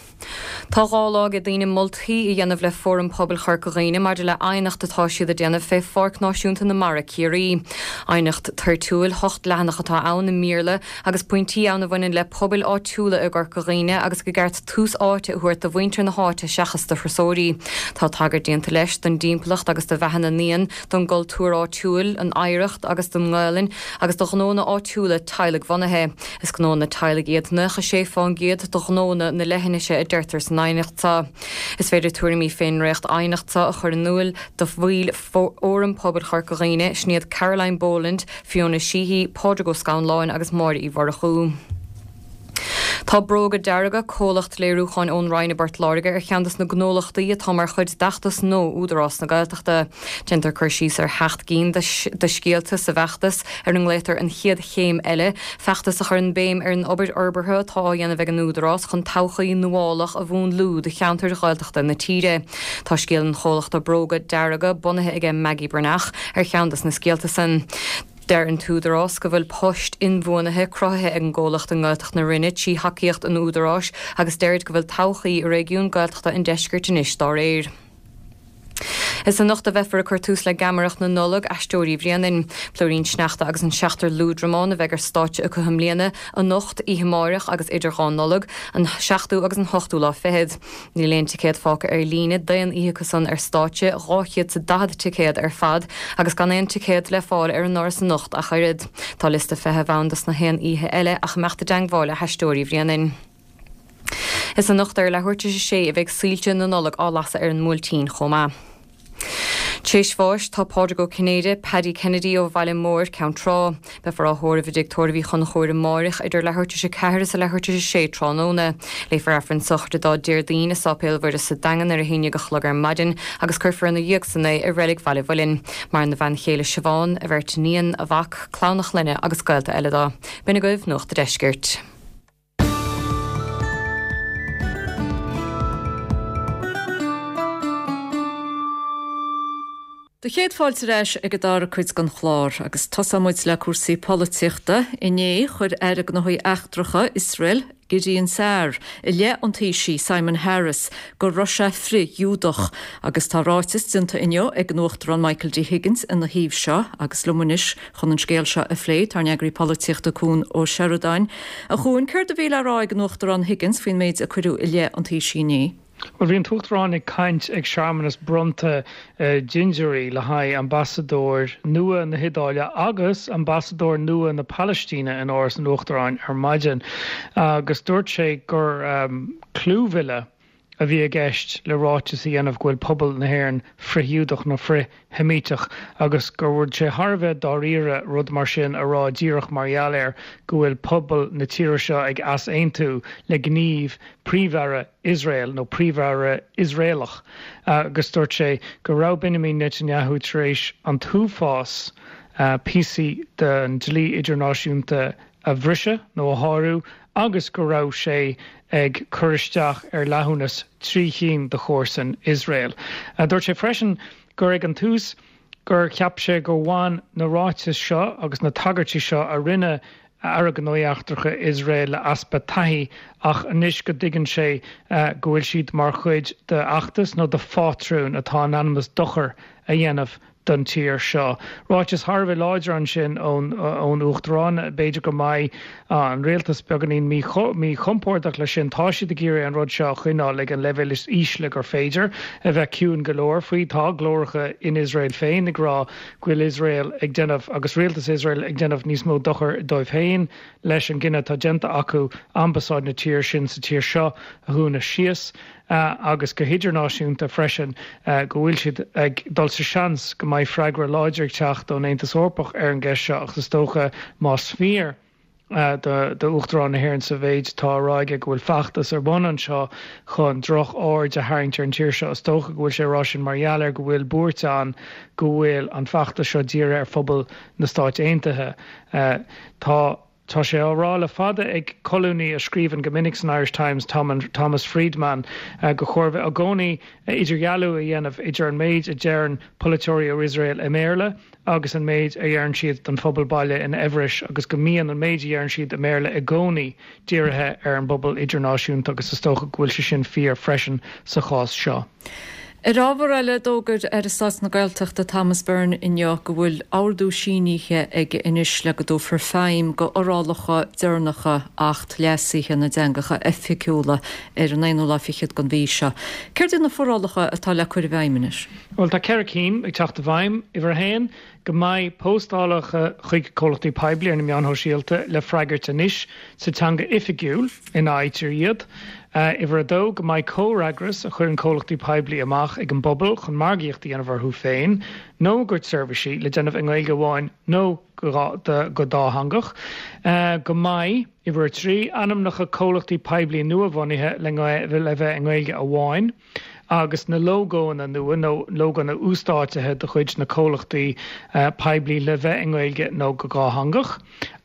Tá 2 lá ag daoine moltaí a dhéanamh le Fóram Pobail Chorca Dhuibhne maidir le aighneacht atá siad a déanamh fé Pháirc Náisiúnta na Mara, Ciarraí. Aighneacht toirtiúil, 8 leathanach atá ann i mBéarla agus pointí ann a bhaineann le pobail áitiúla i gCorca Dhuibhne agus go gceart tús áite a thabhairt do mhuintir na háite seachas do thurasóirí. Tá tagairt déanta leis don dtimpeallacht agus do bheatha na n-éan, don gcultúr áitiúil, an oidhreacht agus don nGaelainn agus do ghnónna áitiúla teaghlaigh-bhunaithe. Is gnónna teaghlaigh iad 96 fán gcéad de ghnónna na leithinise a deirtear san aighneacht seo. Is féidir tuairimí fén ndréacht aighneacht seo a chur in úil do bhaill Fhóram Pobail Chorca Dhuibhne, sin iad Caroline Boland, Fiona Sheehy, Pádraig Ó Scanláin agus Máire Uí Mhurchú. Tá Bróga Dearga, comhlacht léiriúcháin ón Rinn i bPort Láirge, ar cheann dos na gnólachtaí atá mar chuid d'fheachtas No Údarás na Gaeltachta. Déantar cur síos ar sheacht gcinn de scéalta sa bhfeachtas, ar a nglaotar An Chéad Chéim Eile, feachtas a chuireann béim ar an obair fhorbartha atá á dhéanamh ag an Údarás chun todhchaí nuálach a mhúnlú do cheantair Ghaeltachta na tíre. Tá scéal an chomhlachta Bróga Dearga, bunaithe aige Maggie Breathnach, ar cheann dos na scéalta san. Deir an tÚdarás go bhfuil poist inbhuanaithe cruthaithe ag an gcomhlacht i nGaeltacht na Rinne trí thacaíocht an Údaráis agus deirid go bhfuil todhchaí réigiún Gaeltachta an deiscirt anois dá réir. Is anocht a bheifear ag cur tús le Geamaireacht na Nollag, Aisteoirí Bhréanainn. Plúirín Sneachta agus an Seachtar Liúdramán a bheidh ar stáitse acu i mbliana, anocht, oíche amáireach agus idir dhá Nollaig, an seachtú agus an hochtú lá fichead. Níl aon ticéad fágtha ar líne d'aon oíche acu san ar stáitse, 240 ticéad ar fad, agus gan aon ticéad le fáil ar an ndoras anocht ach oiread. Tá liosta feithimh ann dos na haon oíche eile ach imeacht i dteangmháil le hAisteoirí Bhréanainn. Is anocht ar leathuair tar éis a sé a bheidh soilse na Nollag á lasadh ar an mBuailtín chomh maith. Tréis bháis tá Pádraig Ó Cinnéide, Paddy Kennedy ó Bhaile Móir, Ceann Trá. Beifear á thórramh i dTigh Tórraimh Uí Chonchúir amáireach idir leathuair tar éis 4 is a leathuair tar éis 6 tráthnóna. Léifear Aifreann sochraide dó Déardaoin i Sáipéal Mhuire sa Daingean ar a haon dhéag a chlog ar maidin agus cuirfear ina dhiaidh san é i Reilig Bhaile Mhuilinn. Maireann a bhean chéile Siobhán, a bheirt iníon, a mhac, clann a chlainne agus gaolta eile dó. B'in agaibh Nuacht a' Deiscirt. Do chéad fáilte ar ais ag an dara cuid den chlár agus tosóidh muid le cúrsaí polaitíochta. Inné, chuir Aire Gnóthaí Eachtracha Iosrael, Gideon Sa'ar, i leith an Taoisigh, Simon Harris, go raibh sé frith-Ghiúdach. Agus tá ráiteas déanta inniu ag an Uachtarán Michael D Higgins ina thaobh seo agus liom anois chun an scéal seo a phlé tá ár n-eagraí polaitíochta Cuan Ó Seireadáin. A Chuain, céard a bhí le rá ag an Uachtarán Higgins faoin méid a cuireadh i leith an Taoisigh inné? Bhuel, bhí an tUachtarán ag caint ag searmanas bronnta dintiúirí le haghaidh ambasadóir nua na hIodáile agus ambasadóir nua na Palaistíne in Áras an Uachtaráin ar maidin agus dúirt sé gur clúmhilleadh a bhí i gceist le ráiteas a dhéanamh go bhfuil pobal na hÉireann frith-Ghiúdach nó frith-Sheimíteach agus go raibh sé thar a bheith dáiríre rud mar sin a rá díreach mar gheall air go bhfuil pobal na tíre seo ag easaontú le gníomh Príomh-Aire Iosrael nó Príomh-Aire Iosraelach agus dúirt sé go raibh Benjamin Netanyahu tar éis an t-uafás píosaí den dlí idirnáisiúnta a bhriseadh nó a shárú agus go raibh sé ag cur isteach ar fhlaithiúnas trí chinn de chomharsain Iosrael. Dúirt sé freisin gur ag an tús gur cheap sé gur bhain na ráitis seo agus na tagairtí seo a rinne Aire Gnóthaí Eachtracha Iosrael le easpa taithí ach anois go dtuigeann sé go bhfuil siad mar chuid d'fheachtas nó de phátrún atá in ainm is dochar a dhéanamh don tír seo. Ráiteas thar a bheith láidir ansin ón Uachtarán. B'fhéidir go mbeidh an rialtas beagáinín míchompordach leis sin. Tá siad ag iarraidh an rud seo a choinneáil ag an leibhéal is ísle gur féidir, a bheith ciúin go leor faoi. Tá glóracha in Iosrael féin ag rá go bhfuil Iosrael ag déanamh, agus rialtas Iosrael ag déanamh níos mó dochair dóibh féin leis an gcinneadh atá déanta acu ambasáid na tíre sin sa tír seo a dhúnadh síos. agus go hidirnáisiúnta freisin, go bhfuil siad ag dul sa seans go mbeidh freagra láidir ag teacht ón Aontas Eorpach ar an gceist seo ach is dócha, más fíor d'Uachtarán na hÉireann sa mhéid atá á rá aige go bhfuil feachtas ar bun anseo chun droch-aird a tharraingt ar an tír seo, is dócha go bhfuil sé ag rá sin mar gheall ar go bhfuil buairt ann go bhfuil an feachtas seo dírithe ar phobal na Stáit Aontaithe. Tá. Tá sé á rá le fada ag colúnaí a scríobhann go minic san Irish Times, Thomas Friedman, gur chóir bheith i gcónaí idirdhealú a dhéanamh idir an méid a deireann polaiteoirí ó Iosrael i mBéarla agus an méid a dheireann siad don phobal baile in Eabhrais agus go mbíonn an méid a dheireann siad i mBéarla i gcónaí dírithe ar an bpobal idirnáisiúnta agus is dócha go bhfuil sé sin fíor freisin sa chás seo. Ar ábhar eile, d'fhógair Aire Stáit na Gaeltachta Thomas Byrne inniu go bhfuil ordú sínithe aige anois le go dtabharfar feidhm go fhorálacha deireanacha Acht Leasaithe na dTeangacha Oifigiúla ar an aonú lá fichead den mhí seo. Céard iad na forálacha atá le cur i bhfeidhm anois? Bhuel, tá 4 cinn ag teacht i bhfeidhm. Uimhir a haon, go mbeidh postálacha chuig comhlachtaí poiblí ar na meáin shóisialta le freagairt anois sa teanga oifigiúil ina fhaightear iad. Uimhir a dó, go mbeidh comhfhreagras a chuireann comhlachtaí poiblí amach ag an bpobal chun margaíocht a dhéanamh orthu féin nó a gcuid seirbhísí le déanamh i nGaeilge amháin nó go dátheangach. Go mbeidh, uimhir a trí, ainmneacha comhlachtaí poiblí nua-bhunaithe le bheith i nGaeilge amháin. agus na lógóanna nua nó lógóanna uasdátaithe de chuid na comhlachtaí poiblí le bheith i nGaeilge nó go dhátheangach,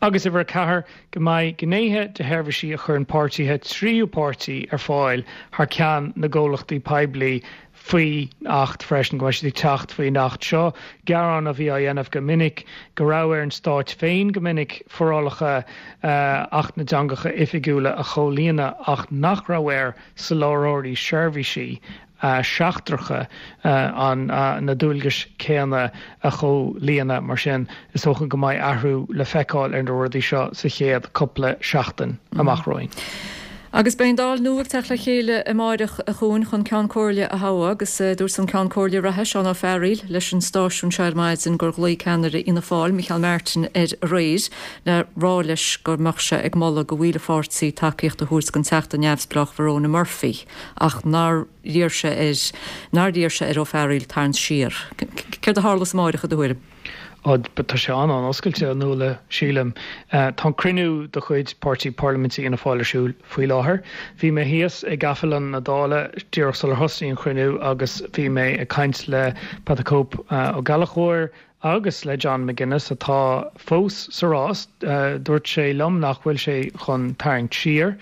agus uimhir 4, go mbeidh gnéithe de sheirbhísí a chuireann páirtithe tríú páirtí ar fáil thar ceann na gcomhlachtaí poiblí faoin Acht freisin, go mbeidh siad ag teacht faoin Acht seo. Gearán a bhí á dhéanamh go minic go raibh ar an Stát féin go minic forálacha Acht na dTeangacha Oifigiúla a chomhlíonadh ach nach raibh air soláthróirí seirbhísí seachtracha na dualgais céanna a chomhlíonadh. Mar sin, is dócha go mbeidh athrú le feiceáil ar na rudaí seo sa chéad cúpla seachtain amach romhainn. Agus beidh an Dáil nua ag teacht le chéile amáireach a Chuain chun Ceann Comhairle a thoghadh agus dúirt an Ceann Comhairle reatha, Seán Ó Fearghaíl, leis an stáisiún seo ar maidin gur ghlaoigh ceannaire Fhianna Fáil, Micheál Martin, air aréir le rá leis go mbeadh sé ag moladh go bhaill a pháirtí tacaíocht a thabhairt don Teachta neamhspleách Verona Murphy ach nár iarr sé air nár iarr sé ar Ó Fearghaíl tarraingt siar. Céard a tharlós amáireach i do thuairim? Á, tá sé an-an-oscailte, a Nuala, sílim. Tá an cruinniú de chuid Páirtí Parlaiminte Fhianna Fáil ar siúl faoi láthair. Bhí mé thíos i gcaifélann na Dála díreach sular thosnaigh an chruinniú agus bhí mé ag caint le Pat the Cope Ó Gallchóir agus le John McGuinness atá fós sa rás. Dúirt sé liom nach bhfuil sé chun tarraingt siar.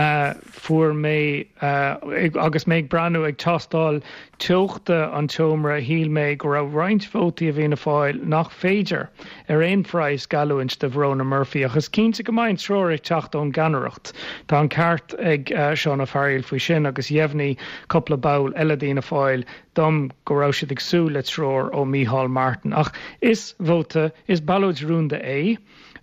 Fuair mé, agus mé ag breathnú, ag tástáil teochta an tseomra, shíl mé go raibh roinnt vótaí i bhFianna Fáil nach féidir ar aon phraghas geallúint do Verona Murphy, ach is cinnte go mbeidh an treoir ag teacht ón gceannaireacht. Tá an ceart ag Seán Ó Fearghaíl faoi sin agus dheimhnigh cúpla ball eile d'Fhianna Fáil dom go raibh siad ag súil le treoir ó Micheál Martin. Ach is vóta, is ballóid rúnda é.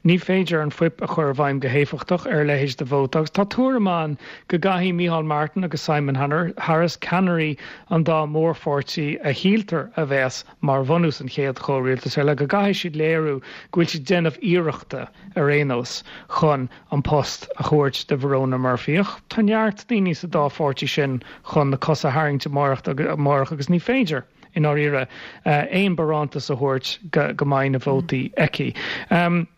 Ní féidir an fuip a chur i bhfeidhm go héifeachtach ar a leithéid de vóta agus tá tuairim ann go gcaithfidh Micheál Martin agus Simon Harris, ceannairí an dá mhórpháirtí a shíltear a bheas mar bhunús an chéad chomhrialtais eile, go gcaithfidh siad léiriú go bhfuil siad ag déanamh iarrachta ar aon nós chun an post a thabhairt do Verona Murphy. Ach tá neart daoine sa dá pháirtí sin chun na cosa a tharraingt amárach agus ní féidir. i ndáiríre, aon barántas a thabhairt go mbeidh na vótaí aici.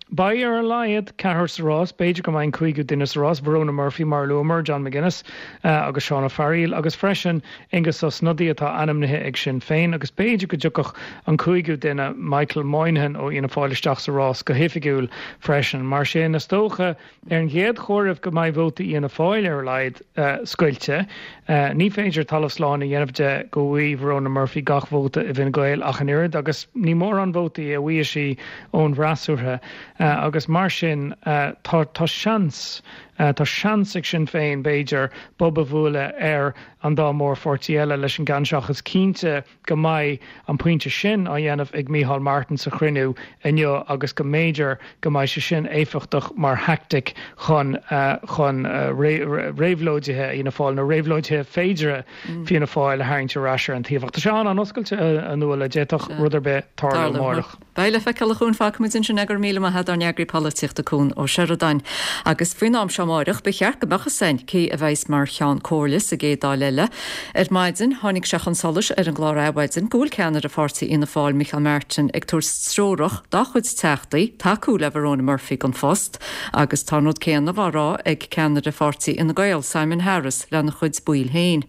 Beidh ar a laghad ceathrar sa rás, b'fhéidir go mbeidh an cúigiú duine sa rás, Verona Murphy mar a luamar, John McGuinness agus Seán Ó Fearghaíl agus freisin Aengus Ó Snodaigh atá ainmnithe ag Sinn Féin agus b'fhéidir go dtiocfadh an cúigiú duine, Michael Moynihan ó Fhianna Fáil isteach sa rás go hoifigiúil freisin. Mar sin, is dócha, Ar an gcéad chomhaireamh go mbeidh vótaí Fhianna Fáil ar a laghad scoilte. Ní féidir talamh slán a dhéanamh de go bhfaighidh Verona Murphy gach vóta i bhFine Gael ach an oiread agus ní mórán vótaí a bhfaighidh sí ón bhfreasúra agus mar sin tá tá seans tá seans ag Sinn Féin b'fhéidir bob a bhualadh ar an dá mhórpháirtí eile leis an gceann seo ach is cinnte go mbeidh an pointe sin á dhéanamh ag Micheál Martin sa chruinniú inniu agus go mb'fhéidir go mbeidh sé sin éifeachtach mar thaictic chun chun réabhlóidithe Fhianna Fáil nó réabhlóidithe féideartha Fianna Fáil a tharraingt ar ais ar an taobh. Ach tá sé an-an-oscailte, a Nuala, d'fhéadfadh rud ar bith tarlú amárach. Beidh le feiceáil a Chuain, fágfaimid ansin é, go raibh míle maith agat, ár n-eagraí polaitíochta Cuan Ó Seireadáin. Agus faoin am seo amáireach ba cheart go mbeadh fhios againn cé a bheas mar Cheann Comhairle sa gcéad Dáil eile. Ar maidin tháinig sé chun solais ar an gclár Adhmhaidin go bhfuil ceannaire pháirtí Fhianna Fáil Micheál Martin ag tabhairt treorach dá chuid teachtaí tacú le Verona Murphy don phost agus tá an rud céanna á rá ag ceannaire pháirtí Fhine Gael Simon Harris lena chuid baill féin.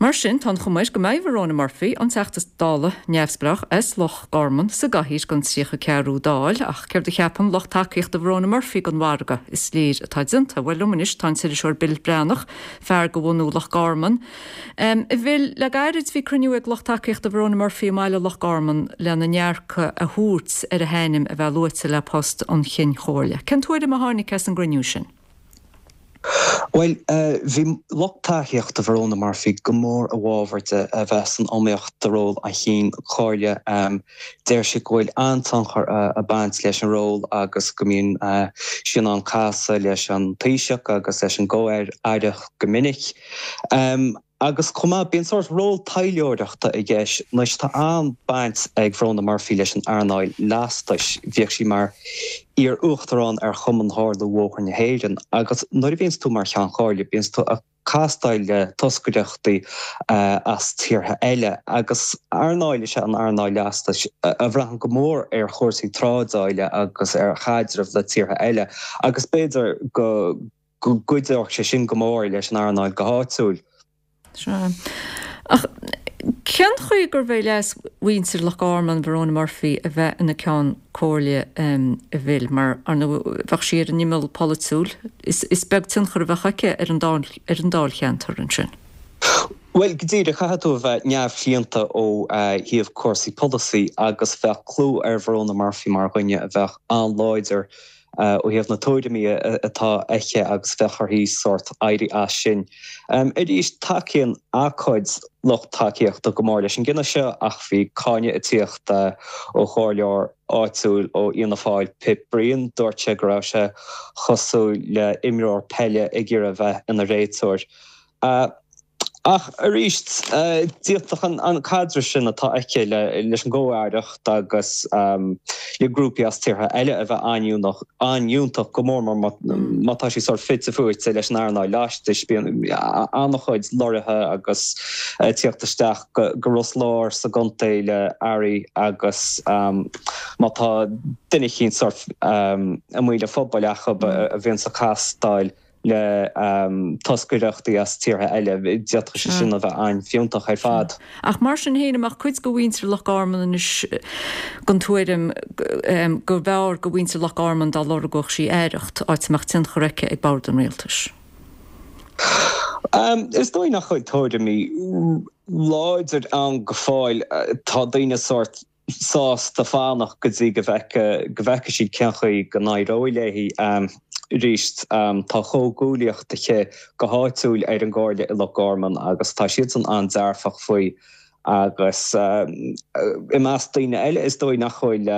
Mar sin, tá an chuma air go mbeidh Verona Murphy, an Teachta Dála neamhspleách as Loch Garman, sa gcathaoir don 34ú Dáil. Ach céard a cheapann lucht tacaíochta Verona Murphy den mhargadh is léir atá déanta? Bhuel, liom anois tá an t-iriseoir Bill Breathnach, fear de bhunú Loch Garman. A Bhill, le gairid bhí cruinniú ag lucht tacaíochta Verona Murphy i mbaile Loch Garman lena ndearcadh a thabhairt ar a hainm a bheith luaite le post an Chinn Chomhairle. Cén tuairim a tháinig as an gcruinniú sin? Bhuel, bhí lucht tacaíochta Verona Murphy go mór i bhfabhar di a bheith san iomaíocht do ról an Chinn Chomhairle. Deir siad go bhfuil an-tionchar ag baint leis an ról agus go mbíonn sí in ann casadh leis an Taoiseach agus leis an gComh-Aireacht go minic. Agus chomh maith, bíonn sórt ról taidhleoireachta i gceist. Anois, tá an-baint ag Verona Murphy leis an earnáil lastais. Bhíodh sí mar iar-uachtarán ar Chumann Tharlú Bhóthar na hÉireann agus nuair a bhíonns tú mar Cheann Comhairle, bíonns tú ag castáil le toscaireachtaí as tíortha eile agus earnáil is ea an earnáil lastais a bhraitheann go mór ar chúrsaí trádála agus ar chaidreamh le tíortha eile agus b'fhéidir go go gcuideodh sé sin go mór leis an earnáil go háitiúil. Sea. Ach cén chaoi gurbh é leas mhuintir Loch Garman Verona Murphy a bheith ina Ceann Comhairle a Bhill, mar, ar ndóigh, bheadh sí ar an imeall polaitiúil, is beag tionchar a bheadh aici ar an ar an dáilcheantar ansin. Bhuel, go díreach, caithfidh tú a bheith neamhchlaonta ó thaobh cúrsaí polasaí agus bheadh clú ar Verona Murphy mar dhuine a bheadh an-láidir. ó thaobh na tuairimí atá aici agus bheadh uirthi sórt éirí as sin. Arís, tacaíonn a cuid lucht tacaíochta go mór leis an gcinneadh seo ach bhí cáineadh ag tíocht ó chomhairleoir áitiúil ó Fhianna Fáil, Pip Brien. Dúirt sé go raibh sé cosúil le imreoir peile ag iarraidh a bheith ina réiteoir. Ach arís, d'fhéadfadh an caidreamh sin atá aici leis an gcomh-aireacht agus le grúpaí as tíortha eile a bheith an-fhiúntach, go mór mór má tá sí sórt fite fuaite leis an earnáil laistis. Bíonn an-chuid lorraithe agus tíocht isteach go Ros Láir sa gcontae le earraí agus má tá duine eicínt sórt amuigh le phobail acu a bhíonns ag castáil le toscaireachtaí as tíortha eile, d'fhéadfadh sé sin a bheith an-fhiúntach ar fad. Ach mar sin féin, an mbeadh cuid de mhuintir Loch Garman anois den tuairim go mb'fhearr do mhuintir Loch Garman dá lorgódh sí aireacht, áit a mbeadh tionchar aici ag bord an rialtais? Is dóigh nach bhfuil tuairimí láidir ann go fóill. Tá daoine sórt sásta fanacht go dtí go bhfeicfidh siad cén chaoi go n-éireoidh léi. Arís, tá comhghuaillíocht aici go háitiúil ar an gcomhairle i Loch Garman agus tá siadsan an-dearfach faoi agus i measc daoine eile is dóigh nach bhfuil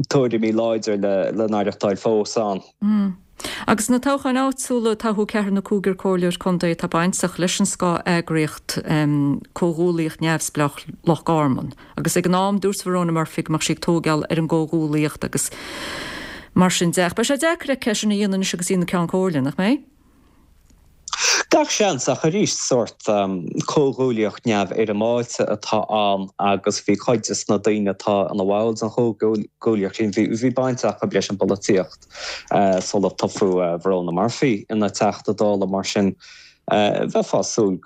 tuairimí láidre le n-aireachtáil fós ann. Agus sna toghcháin áitiúla, toghadh ceathrar nó cúigear comhairleoir contae atá bainteach leis an scáth-eagraíocht Comhghuaillíocht Neamhspleách Loch Garman. Agus ag an am, dúirt Verona Murphy go mbeadh sí ag tóigeáil ar an gcomhghuaillíocht agus mar sin de. Ach beidh sé deacair aici é sin a dhéanamh anois agus í ina Ceann Comhairle, nach mbeidh? Gach seans, ach arís, sórt comhghuaillíocht neamhfhoirmeáilte atá ann agus bhí cuid de na daoine atá ina bhall den chomhghuaillíocht sin, bhí baint acu leis an bpolaitíocht sular toghadh Verona Murphy ina Teachta Dála, mar sin bheifeá ag súil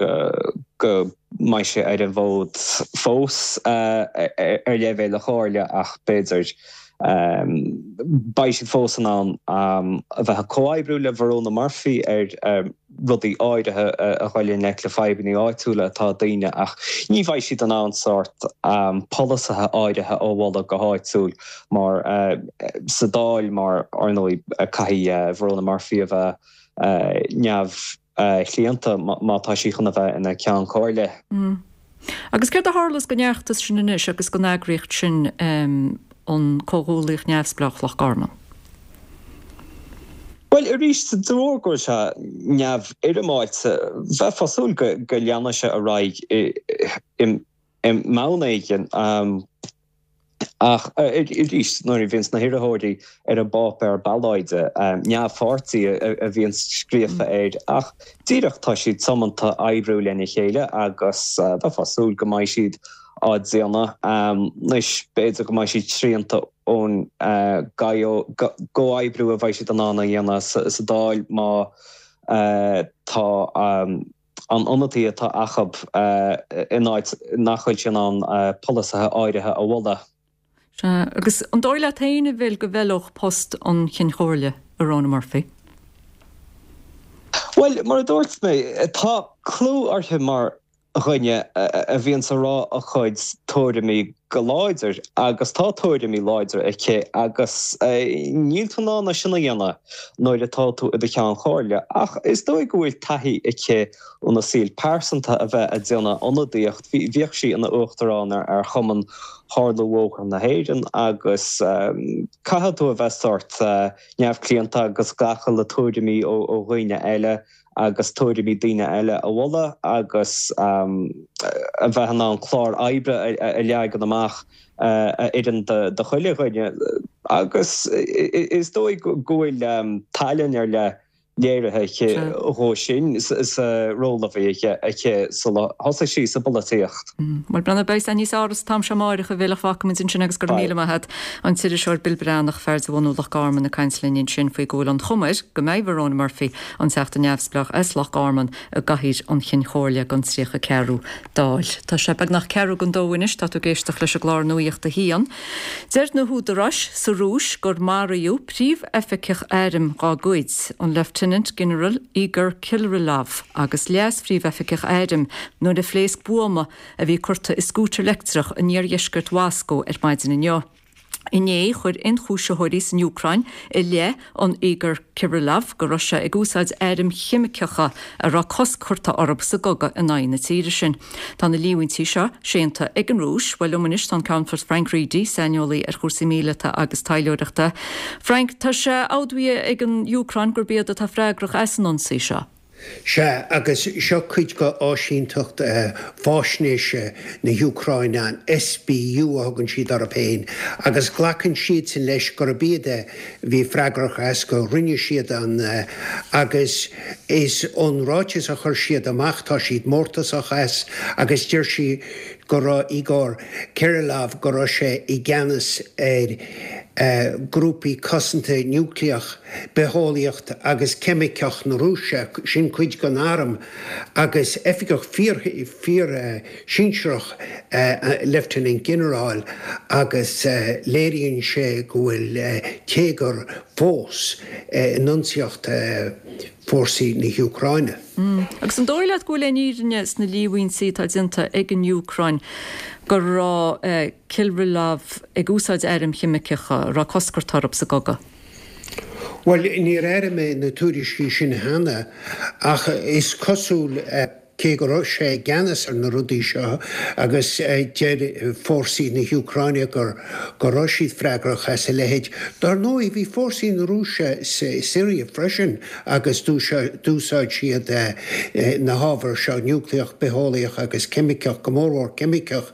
go mbeidh sí ar an bhfód fós ar leibhéal na Comhairle ach b'fhéidir Beidh siad fós in ann a bheith ag comhoibriú le Verona Murphy ar rudaí áirithe a dhul i ngleic le fadhbanna áitiúla atá ag daoine ach ní bheidh siad in ann sórt polasaithe áirithe a mholadh go háitiúil mar sa Dáil mar, ar ndóigh, caithfidh Verona Murphy a bheith neamh chlaonta má tá sí chun a bheith ina Ceann Comhairle. Agus céard a tharlós don fheachtas sin anois agus don eagraíocht sin an Comhghuaillíocht Neamhspleách Loch Garman? Bhuel, arís, de bharr go bhfuil sé neamhfhoirmeáilte, bheifeá ag súil go leanfaidh sé ar aghaidh i mbonn éigin. Ach arís, nuair a bhíonns na hiarrthóirí ar an bpáipéar ballóide, neamhpháirtí a bhíonns scríofa air, ach díreach tá siad tiomanta oibriú lena chéile agus bheifeá ag súil go mbeidh siad á déanamh. Anois, b'fhéidir go mbeidh siad srianta ón gcomhoibriú a bheidh siad in ann a dhéanamh sa Dáil má tá an ionadaí atá acu in áit nach bhfuil sé in ann polasaithe áirithe a mholadh. Sea, agus an dóigh leat féin, a Bhill, go bhfeilfeadh post an Chinn Chomhairle do Verona Murphy? Bhuel, mar a dúirt mé, tá clú uirthi mar dhuine a bhíonns ag rá a cuid tuairimí go láidir agus tá tuairimí láidre aici agus níl tú in ann é sin a dhéanamh nuair atá tú i do cheann comhairle. Ach is dóigh go bhfuil taithí aici óna saol pearsanta a bheith ag déanamh ionadaíocht. Bhíodh sí ina uachtarán ar Chumann Tharlú Bhóthar na hÉireann agus caithfidh tú a bheith sórt neamhchlaonta agus glacadh le tuairimí ó dhaoine eile. agus tuairimí daoine eile a mholadh agus a bheith in ann clár oibre a leagan amach a oireann do chuile dhuine. Agus is dóigh go bhfuil tallann ar leith léirithe aici dhó sin sa ról a bhí aici sula thosaigh sí sa bpolaitíocht. Bhuel, breathnóidh, beidh a fhios níos fearr an t-am seo amáireach, a Bhill, ach fágfaimid ansin agus go raibh míle maith agat. An t-iriseoir Bill Breathnach, fear de bhunú Loch Garman ag caint linn ansin faoi go bhfuil an chuma air go mbeidh Verona Murphy an Teachta Neamhspleách as Loch Garman i gcathaoir an Chinn Chomhairle don 34ú Dáil. Tá sé beagnach ceathrú don dó anois, tá tú ag éisteacht leis an gclár Nuacht a hAon. Deir na húdaráis sa Rúis gur maraíodh príomhoifigeach airm dá gcuid, an Lieutenant Gineral Igor Kirillov, agus leas-phríomhoifigeach airm nuair a phléasc buama a bhí curtha i scútar leictreach in iardheisceart Mhoscó ar maidin inniu. Inné, chuir ionchúisitheoirí san Úcráin i leith an Igor Kirillov go raibh sé ag úsáid airm cheimiceacha a raibh cosc curtha orthu sa gcogadh in aghaidh na tíre sin. Tá na líomhaintí seo séanta ag an Rúis. Bhuel, liom anois tá an Ceannfort Frank Reidy, saineolaí ar chúrsaí míleata agus taidhleoireachta. Frank, tá sé admhaithe ag an Úcráin gurb iad atá freagrach as an ionsaí seo. Sea, agus seo cuid de áisínteacht faisnéise na hÚcráine, an SBU a thugann siad orthu féin, agus glacann siadsan leis gurb iad a bhí freagrach as, go rinne siad an, agus is ón ráiteas a chuir siad amach, tá siad mórtasach as, agus deir siad go raibh Igor Kirillov, go raibh sé i gceannas ar grúpaí cosanta núicléach. bitheolaíocht agus ceimiceach na Rúise, sin cuid den arm, agus oifigeach fíor-shinsearach, leifteanant-ghinearál, agus léiríonn sé go bhfuil téagar fós in ionsaíocht fórsaí na hÚcráine. Agus an dóigh leat go bhfuil aon fhírinne sna líomhaintí atá déanta ag an Úcráin go raibh Kirillov ag úsáid airm cheimiceacha a raibh cosc curtha orthu sa gcogadh? Bhuel, níor airigh mé na tuairiscí sin cheana, ach is cosúil, cé go raibh sé i gceannas ar na rudaí seo, agus deir fórsaí na hÚcráine gur go raibh siad freagrach as a leithéid. Dar ndóigh, bhí fórsaí na Rúise sa Siria freisin agus d'úsáid siad na hábhair seo, núicléach, bitheolaíoch agus ceimiceach, go mórmhór ceimiceach.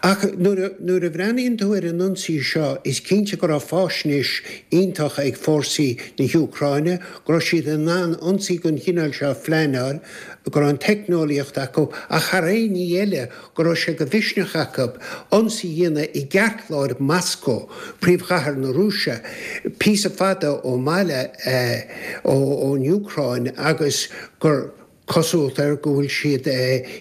Ach nuair a bhreathnaíonn tú ar an ionsaí seo, is cinnte go raibh faisnéis iontach ag fórsaí na hÚcráine, go raibh siad in ann ionsaí den chineál seo a phleanáil, go raibh an teicneolaíocht acu, ach thar aon ní eile, go raibh sé de mhisneach acu ionsaí a dhéanamh i gceartlár Moscó, príomhchathair na Rúise, píosa fada ó mbaile ón Úcráin, agus gur. Cosúlacht air go bhfuil siad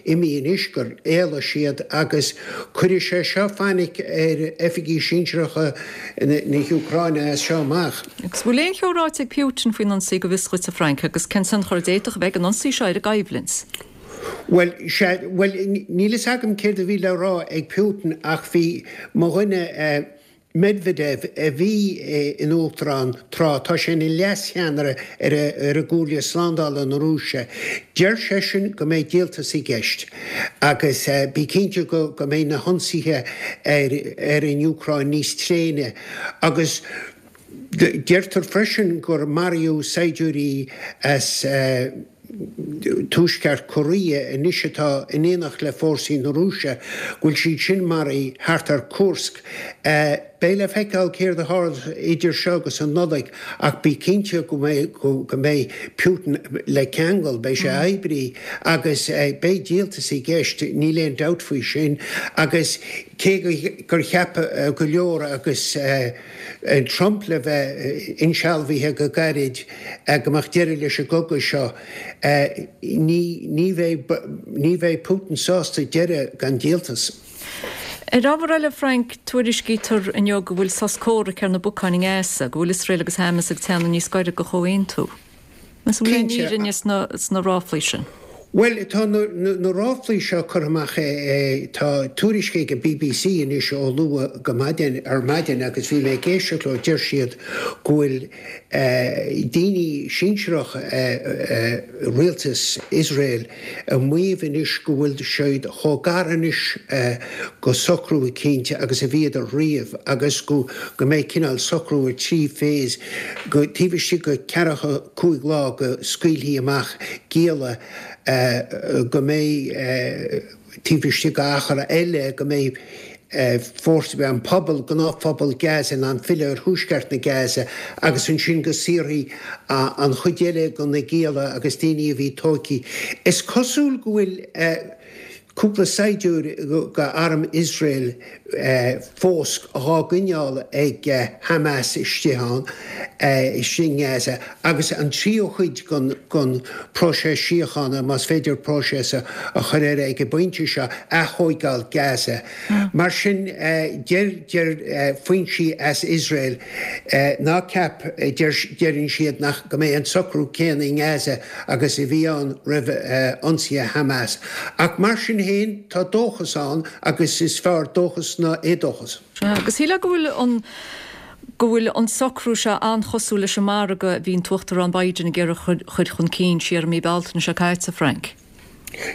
imithe anois, gur éalaigh siad agus cuirfidh sé seo fainic ar oifigigh sinsearacha na hÚcráine as seo amach. Agus bhfuil aon cheo ráite ag Putin faoin ionsaí go bhfios dhuit a Frank agus cén tionchar a d'fhéadfadh a bheith ag an ionsaí seo ar an gcoimhlint? Bhuel, sea, bhuel, níl fhios agam céard a bhí le rá ag Putin ach bhí mo dhuine, Medvedev, a bhí ina uachtarán tráth, tá sé ina leas-cheannaire ar an gComhairle Slándála na Rúise. Deir seisean go mbeidh díoltas i gceist agus bí cinnte go mbeidh na hionsaithe ar an Úcráin níos tréine agus deirtear freisin gur maraíodh saighdiúirí as Tuaisceart Korea anois atá in éineacht le fórsaí na Rúise, go bhfuil siad sin maraithe thart ar Kursk. Beidh le feiceáil céard a tharlós idir seo agus an Nollaig ach bí cinnte go mbeidh go mbeidh Putin le ceangal, beidh sé oibrithe agus beidh díoltas i gceist, níl aon dabht faoi sin agus cé gur cheap go leor agus Trump le bheith insealbhaithe go gairid go mbeadh deireadh leis an gcogadh seo. Ní bheidh ní bheidh Putin sásta deireadh gan díoltas. Ar ábhar eile, Frank, tuairiscítear inniu go bhfuil sos comhraic ar na bacáin i nGaza, go bhfuil Iosrael agus Hamas ag teannadh níos gaire do chomhaontú. An bhfuil aon fhírinne sna ráflaí sin? Bhuel, tá na ráflaí seo curtha amach, tá tuairisc ag an bbc anois ó luath go maidin, ar maidin agus bhí mé ag éisteacht leo, deir siad go bhfuil daoine sinsearach rialtas Iosrael ag maíomh anois go bhfuil siad chomh gar anois go socrú eicínt agus a bhíodar riamh agus go mbeidh cineál socrú ar thrí phase, go taobh istigh de cheathracha cúig lá go scaoilfí amach gialla, go mbeidh taobh istigh d'achar eile go mbeidh fórsaí, an pobal, gnáthphobal Gaza in ann filleadh ar thuaisceart na Gaza agus ansin go saorfaí an chuid eile de na gialla agus daoine a bhí tógtha. Is cosúil go bhfuil cúpla saighdiúir de arm Iosrael fós dhá gcoinneáil ag Hamas istigh ann, istigh i nGaza, agus an tríú cuid den próiseas síochána, más féidir próiseas a chur air ag an bpointe seo, aththóigeáil Gaza. Mar sin, deir foinsí as Iosrael, ná ceap, deireann siad, nach go mbeidh an socrú céanna i nGaza agus a bhí ann roimh ionsaithe Hamas. Ach mar sin. féin, tá dóchas ann agus is fearr dóchas ná éadóchas. Sea, agus shílfeá go bhfuil an go bhfuil an socrú seo an-chosúil leis an margadh a bhí an tUachtarán Biden ag iarraidh a chur chun cinn siar i mí Bealtaine seo caite, Frank.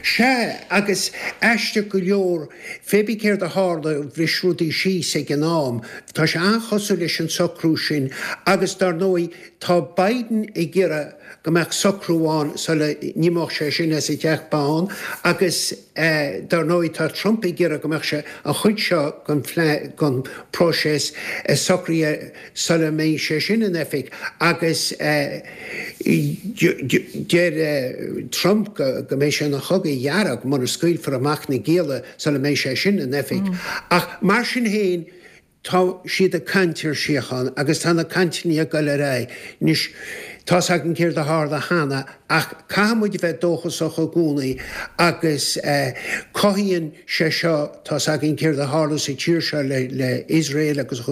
Sea, agus aisteach go leor, pé bí céard a tharla, bhris rudaí síos ag an am. Tá sé an-chosúil leis an socrú sin agus, dar ndóigh, tá Biden ag iarraidh go mbeadh socrú ann sula n-imeodh sé sin as an Teach Bán agus, dar ndóigh, tá Trump ag iarraidh go mbeadh sé, an chuid seo den den próiseas socraithe sula mbeidh sé sin in oifig agus deir Trump go mbeidh sé ina chogadh dhearg mura scaoilfear amach na gialla sula mbeidh sé sin in oifig. Ach mar sin féin, tá siad ag caint ar síocháin agus tá na cainteanna ag dul ar aghaidh. Anois, tá's againn céard a tharla cheana ach caithfidh muid a bheith dóchasach i gcónaí agus cothaíonn sé seo, tá's againn céard a tharla sa tír seo le Iosrael agus a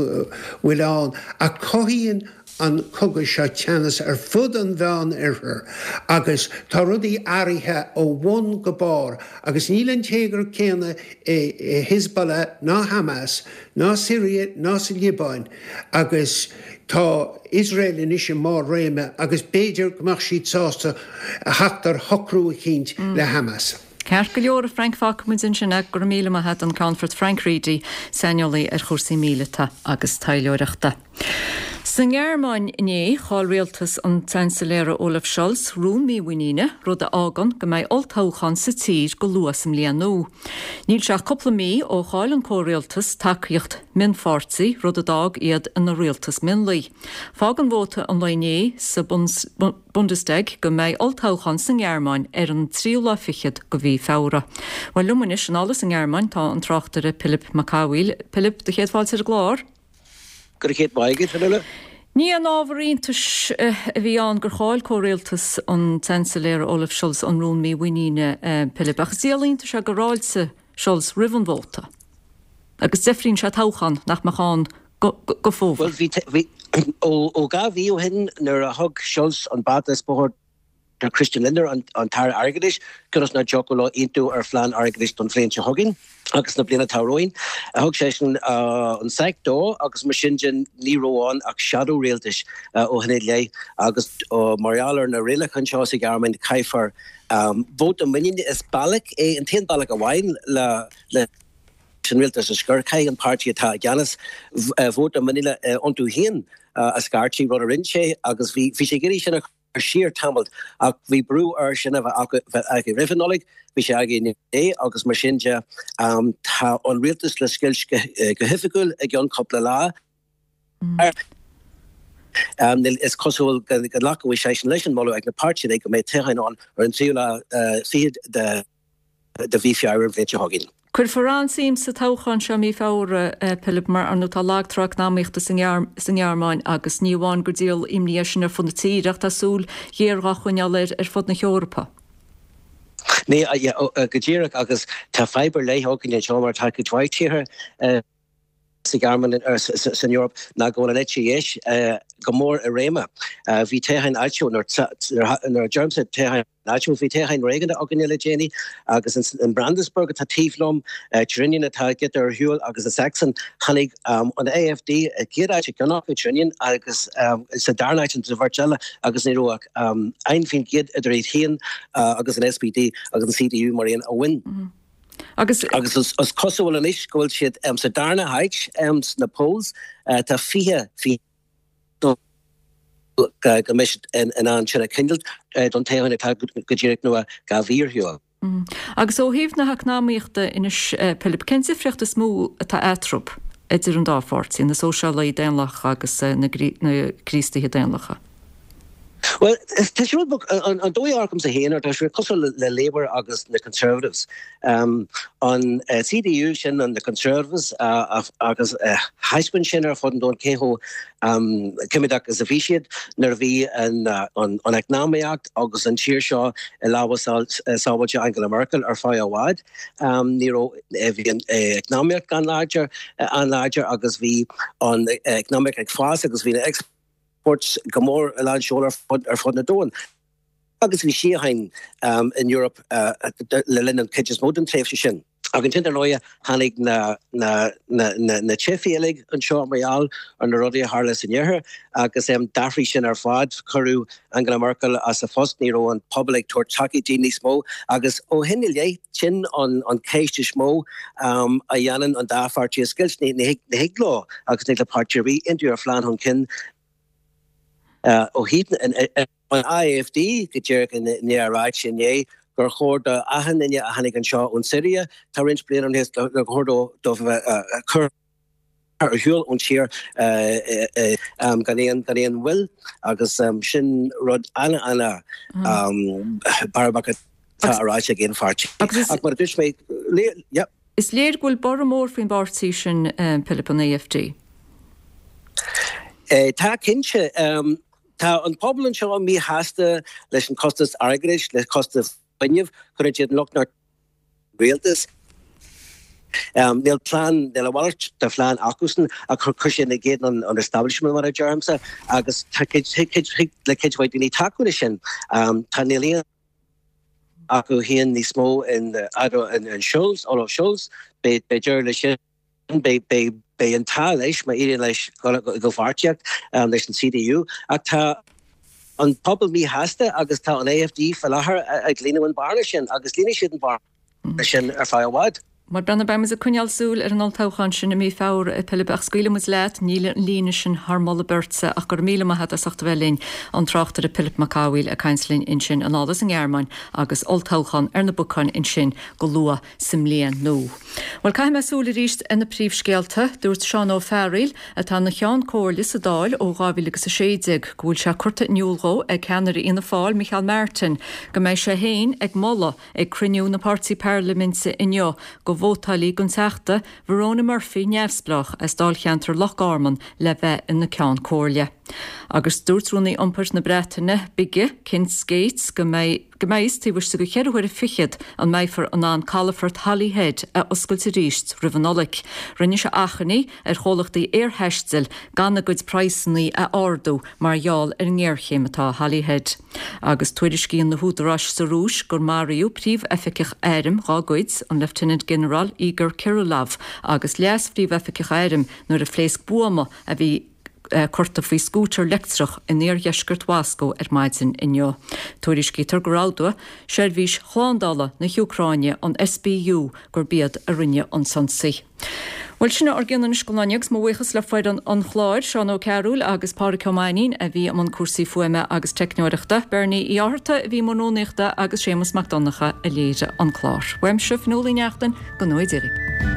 bhfuil ann, ach cothaíonn an cogadh seo teannas ar fud an Mheán Oirthir agus tá rudaí athraithe ó bhun go barr agus níl an téagar céanna i Hezbollah ná Hamas ná Syria ná sa Liobáin agus tá Iosrael anois i mbarr réime agus b'fhéidir go mbeadh siad sásta theacht ar shocrú eicínt le Hamas. Ceart go leor, a Frank, fágfaidh muid ansin é. Go raibh míle maith agat, an Ceannfort Frank Reidy, saineolaí ar chúrsaí míleata agus taidhleoireachta. Sa nGearmáin inné, chaill rialtas an tSeansailéara Olaf Scholz rún mímhuiníne, rud a fhágann go mbeidh olltoghchán sa tír go luath sa mbliain nua. Níl sé ach cúpla mí ó chaill an comhrialtas tacaíocht mionpháirtí, rud a d'fhág iad ina rialtas mionlaigh. Fágann vóta an lae inné sa Bundestag go mbeidh olltoghchán sa nGearmáin ar an tríú lá fichead de mhí Feabhra. Bhuel, liom anois anall as an nGearmáin tá an tráchtaire Pilib Mac Cathmhaoil. Pilib, do chéad fáilte ar an gclár. Go raibh céad maith agat, Fionnuala. Ní aon ábhar iontais a bhí ann gur chaill comhrialtas an tSeansailéara Olaf Scholz an rún mímhuiníne, Pilib, ach is díol iontais é gur fháiltigh Scholz roimh an vóta. Agus deifríonn sé toghchán nach mbeadh ann go fómhar. Bhuel, bhí, bhí, ó, ó 2 mhí ó shin nuair a thug Scholz an bata is bóthar do Christian Lindner, an, an tAire Airgeadais, cionn is nach dtiocfadh leo aontú ar phlean airgeadais don bhliain seo chugainn agus na bliana atá romhainn. Thug seisean an sack dó agus mar sin de ní raibh ann ach shadow rialtais ó shin i leith agus mar gheall ar na rialacháin seo sa Ghearmáin caithfear vóta muiníne is bealach é an t-aon bealach amháin le le an rialtas a scor. Caithfidh an páirtí atá i gceannas vóta muiníne iontu féin a scairteadh, rud a rinne sé agus bhí sé ag iarraidh sin a chur siar tamall ach bhí brú air sin a bheith aige roimh an Nollaig, bhí sé aige inné agus mar sin de tá an rialtas le scoilt go hoifigiúil i gceann cúpla lá. Is cosúil go nglacfaidh seisean leis an moladh ag na páirtithe go mbeidh toghchán ann ar an tríú lá fichead de de mhí Feabhra an bhliain seo chugainn. Cuirfear an-suim sa toghchán seo mí Feabhra, Pilib, mar ar ndóigh tá lag trá eacnamaíochta sa nGearmáin agus ní amháin gur díol imní é sin ar fud na tíre ach tá súil ghéar dhá choinneáil air ar fud na hEorpa. Ní, go díreach agus tá fadhb ar leith againn anseo mar tá cuid mhaith tíortha sa Ghearmáin, san Eoraip ná go bhfuil an eite dheis go mór i réim. Bhí toghcháin áitiúil, nuair a deirimse toghcháin áitiúil, bhí toghcháin réigiúnda againne le déanaí agus in Brandenburg atá taobh liom, Thüringen atá giota ar shiúl agus i Sachsen, tháinig an AfD i gcéad áit i gceann acu, Thüringen, agus sa darna áit sa bheirt eile agus ní raibh ach 1% idir iad féin agus an SPD agus an CDU mar aon a bhain. Agus. Agus is cosúil anois go bhfuil siad sa darna háit sna polls. Tá 20% go mbeidh siad in ann sin a choinneáil don toghchán atá go díreach nó 2 mhí ar shiúl. Agus ó thaobh na heacnamaíochta anois, Pilib, cén difríocht is mó atá eatarthu, idir an dá pháirtí, na Sóisialaithe Daonlathacha agus na Críostaithe Daonlathacha? Bhuel, tá sé rud beag, an dóigh a amharcaimse féin air, tá sé cosúil le Labour agus na Conservatives. An CDU, sin na Conservatives agus thaispeáin sin ar fud an domhain cé chomh coimeádach is a bhí siad nuair a bhí an eacnamaíocht agus an tír seo i lámha sábháilte Angela Merkel ar feadh i bhfad. Ní raibh, bhí an eacnamaíocht an-láidir, an-láidir agus bhí an eacnamaíocht ag fás agus bhí na. exports go mór i lán seoil ar fud na domhan. Agus bhí síocháin in Europe le linn an chuid is mó den tréimhse sin. Ach ansin, dar ndóighe, tháinig na teifigh uilig anseo mar gheall ar na rudaí a tharla san Iarthar agus d'athraigh sin ar fad. Cuireadh Angela Merkel as a phost, ní raibh an pobal ag tabhairt tacaíocht di níos mó agus ó shin i leith, sin an cheist is mó a dhéanann an dá pháirtí a scoilt. Ní thig leo agus ní thig le páirtí ar bith aontú ar phlean chun cinn ó thaobh an AfD go díreach i ndiaidh a ráite inné gur chóir do achan duine a tháinig anseo ón Siria, tá roinnt bliana ó shin, gur chóir dóibh a bheith curtha ar shiúl ón tír gan aon gan aon mhoill agus sin rud ana-ana bearbach atá ráite ag aon pháirtí. Ach mar a dúirt mé, yeah. Is léir go bhfuil borradh mór faoin bpáirtí sin, Pilib, an AfD. Tá, cinnte. Tá an pobal anseo míshásta leis an costas airgeadais, le costas fuinnimh, cuireann siad an locht ar an rialtas. Níl plean, níl a mhalairt de phlean acusan ach chuir siad in éadan an establishment mar a deirimse agus tá cuid, thig le cuid mhaith daoine tacú leis sin. Tá, níl aon acu féin níos mó in, in Scholz, Olaf Scholz, beidh deireadh leis sin. Beidh an t-ádh leis má éiríonn leis dul i gcomhpháirtíocht leis an CDU. Ach tá an pobal míshásta agus tá an AfD faoi láthair ag líonadh an bhearna sin agus líonfaidh siad an bhearna sin ar feadh i bhfad. Bhuel, breathnaigh, beidh muid ag coinneáil súil ar an olltoghchán sin i mí Feabhra, a Philib, ach scaoilfidh muid leat, níl an líne sin thar moladh beirte ach go raibh míle maith agat as ucht a bheith linn, an tráchtaire Pilib Mac Cathmhaoil ag caint linn ansin anall as an nGearmáin agus olltoghchán ar na bacáin ansin go luath sa mbliain nua. Bhuel, caithfidh mé súil arís ar na príomhscéalta. Dúirt Seán Ó Fearghaíl, atá ina Cheann Comhairle sa Dáil ó 2016, go bhfuil sé curtha in iúl dhó ag ceannaire Fhianna Fáil, Micheál Martin, go mbeidh sé féin ag moladh ag cruinniú na páirtí parlaiminte inniu go vótálfaí don Teachta Verona Murphy, Neamhspleách, as dáilcheantar Loch Garman le bheith ina Ceann Comhairle. Agus dúirt Rúnaí Iompair na Breataine Bige, Ken Skates, go mbeidh. go mbeidh a fhios taobh istigh de cheithre huaire fichead an mbeifear in ann calafort Holyhead a oscailt arís roimh an Nollaig. Rinne sé achainí ar chomhlachtaí aerthaistil gan a gcuid praghsanna a ardú mar gheall ar an ngéarchéim atá i Holyhead. Agus tuairiscíonn na húdaráis sa Rúis gur maraíodh príomhoifigeach airm dhá gcuid, an Lieutenant-General Igor Kirillov agus leas-phríomhoifigeach airm nuair a phléasc buama a bhí curtha faoi scútar leictreach in iardheisceart Mhoscó ar maidin inniu. Tuairiscítear gur admhaigh seirbhís shlándála na hÚcráine, an SBU, gurb iad a rinne an t-ionsaí. Bhuel, sin ár gcion anois don lá inniu agus mo bhuíochas le foireann an chláir, Seán Ó Cearúil agus Pádraic Ó Mainnín a bhí i mbun cúrsaí fuaime agus teicneoireachta, Bernie Uí Fhátharta a bhí i mbun rúnaíochta agus Séamus Mac Donncha a léirigh an clár. Uaimse, Fionnuala Uí Neachtain, go ngnóthaí Dia dhaoibh.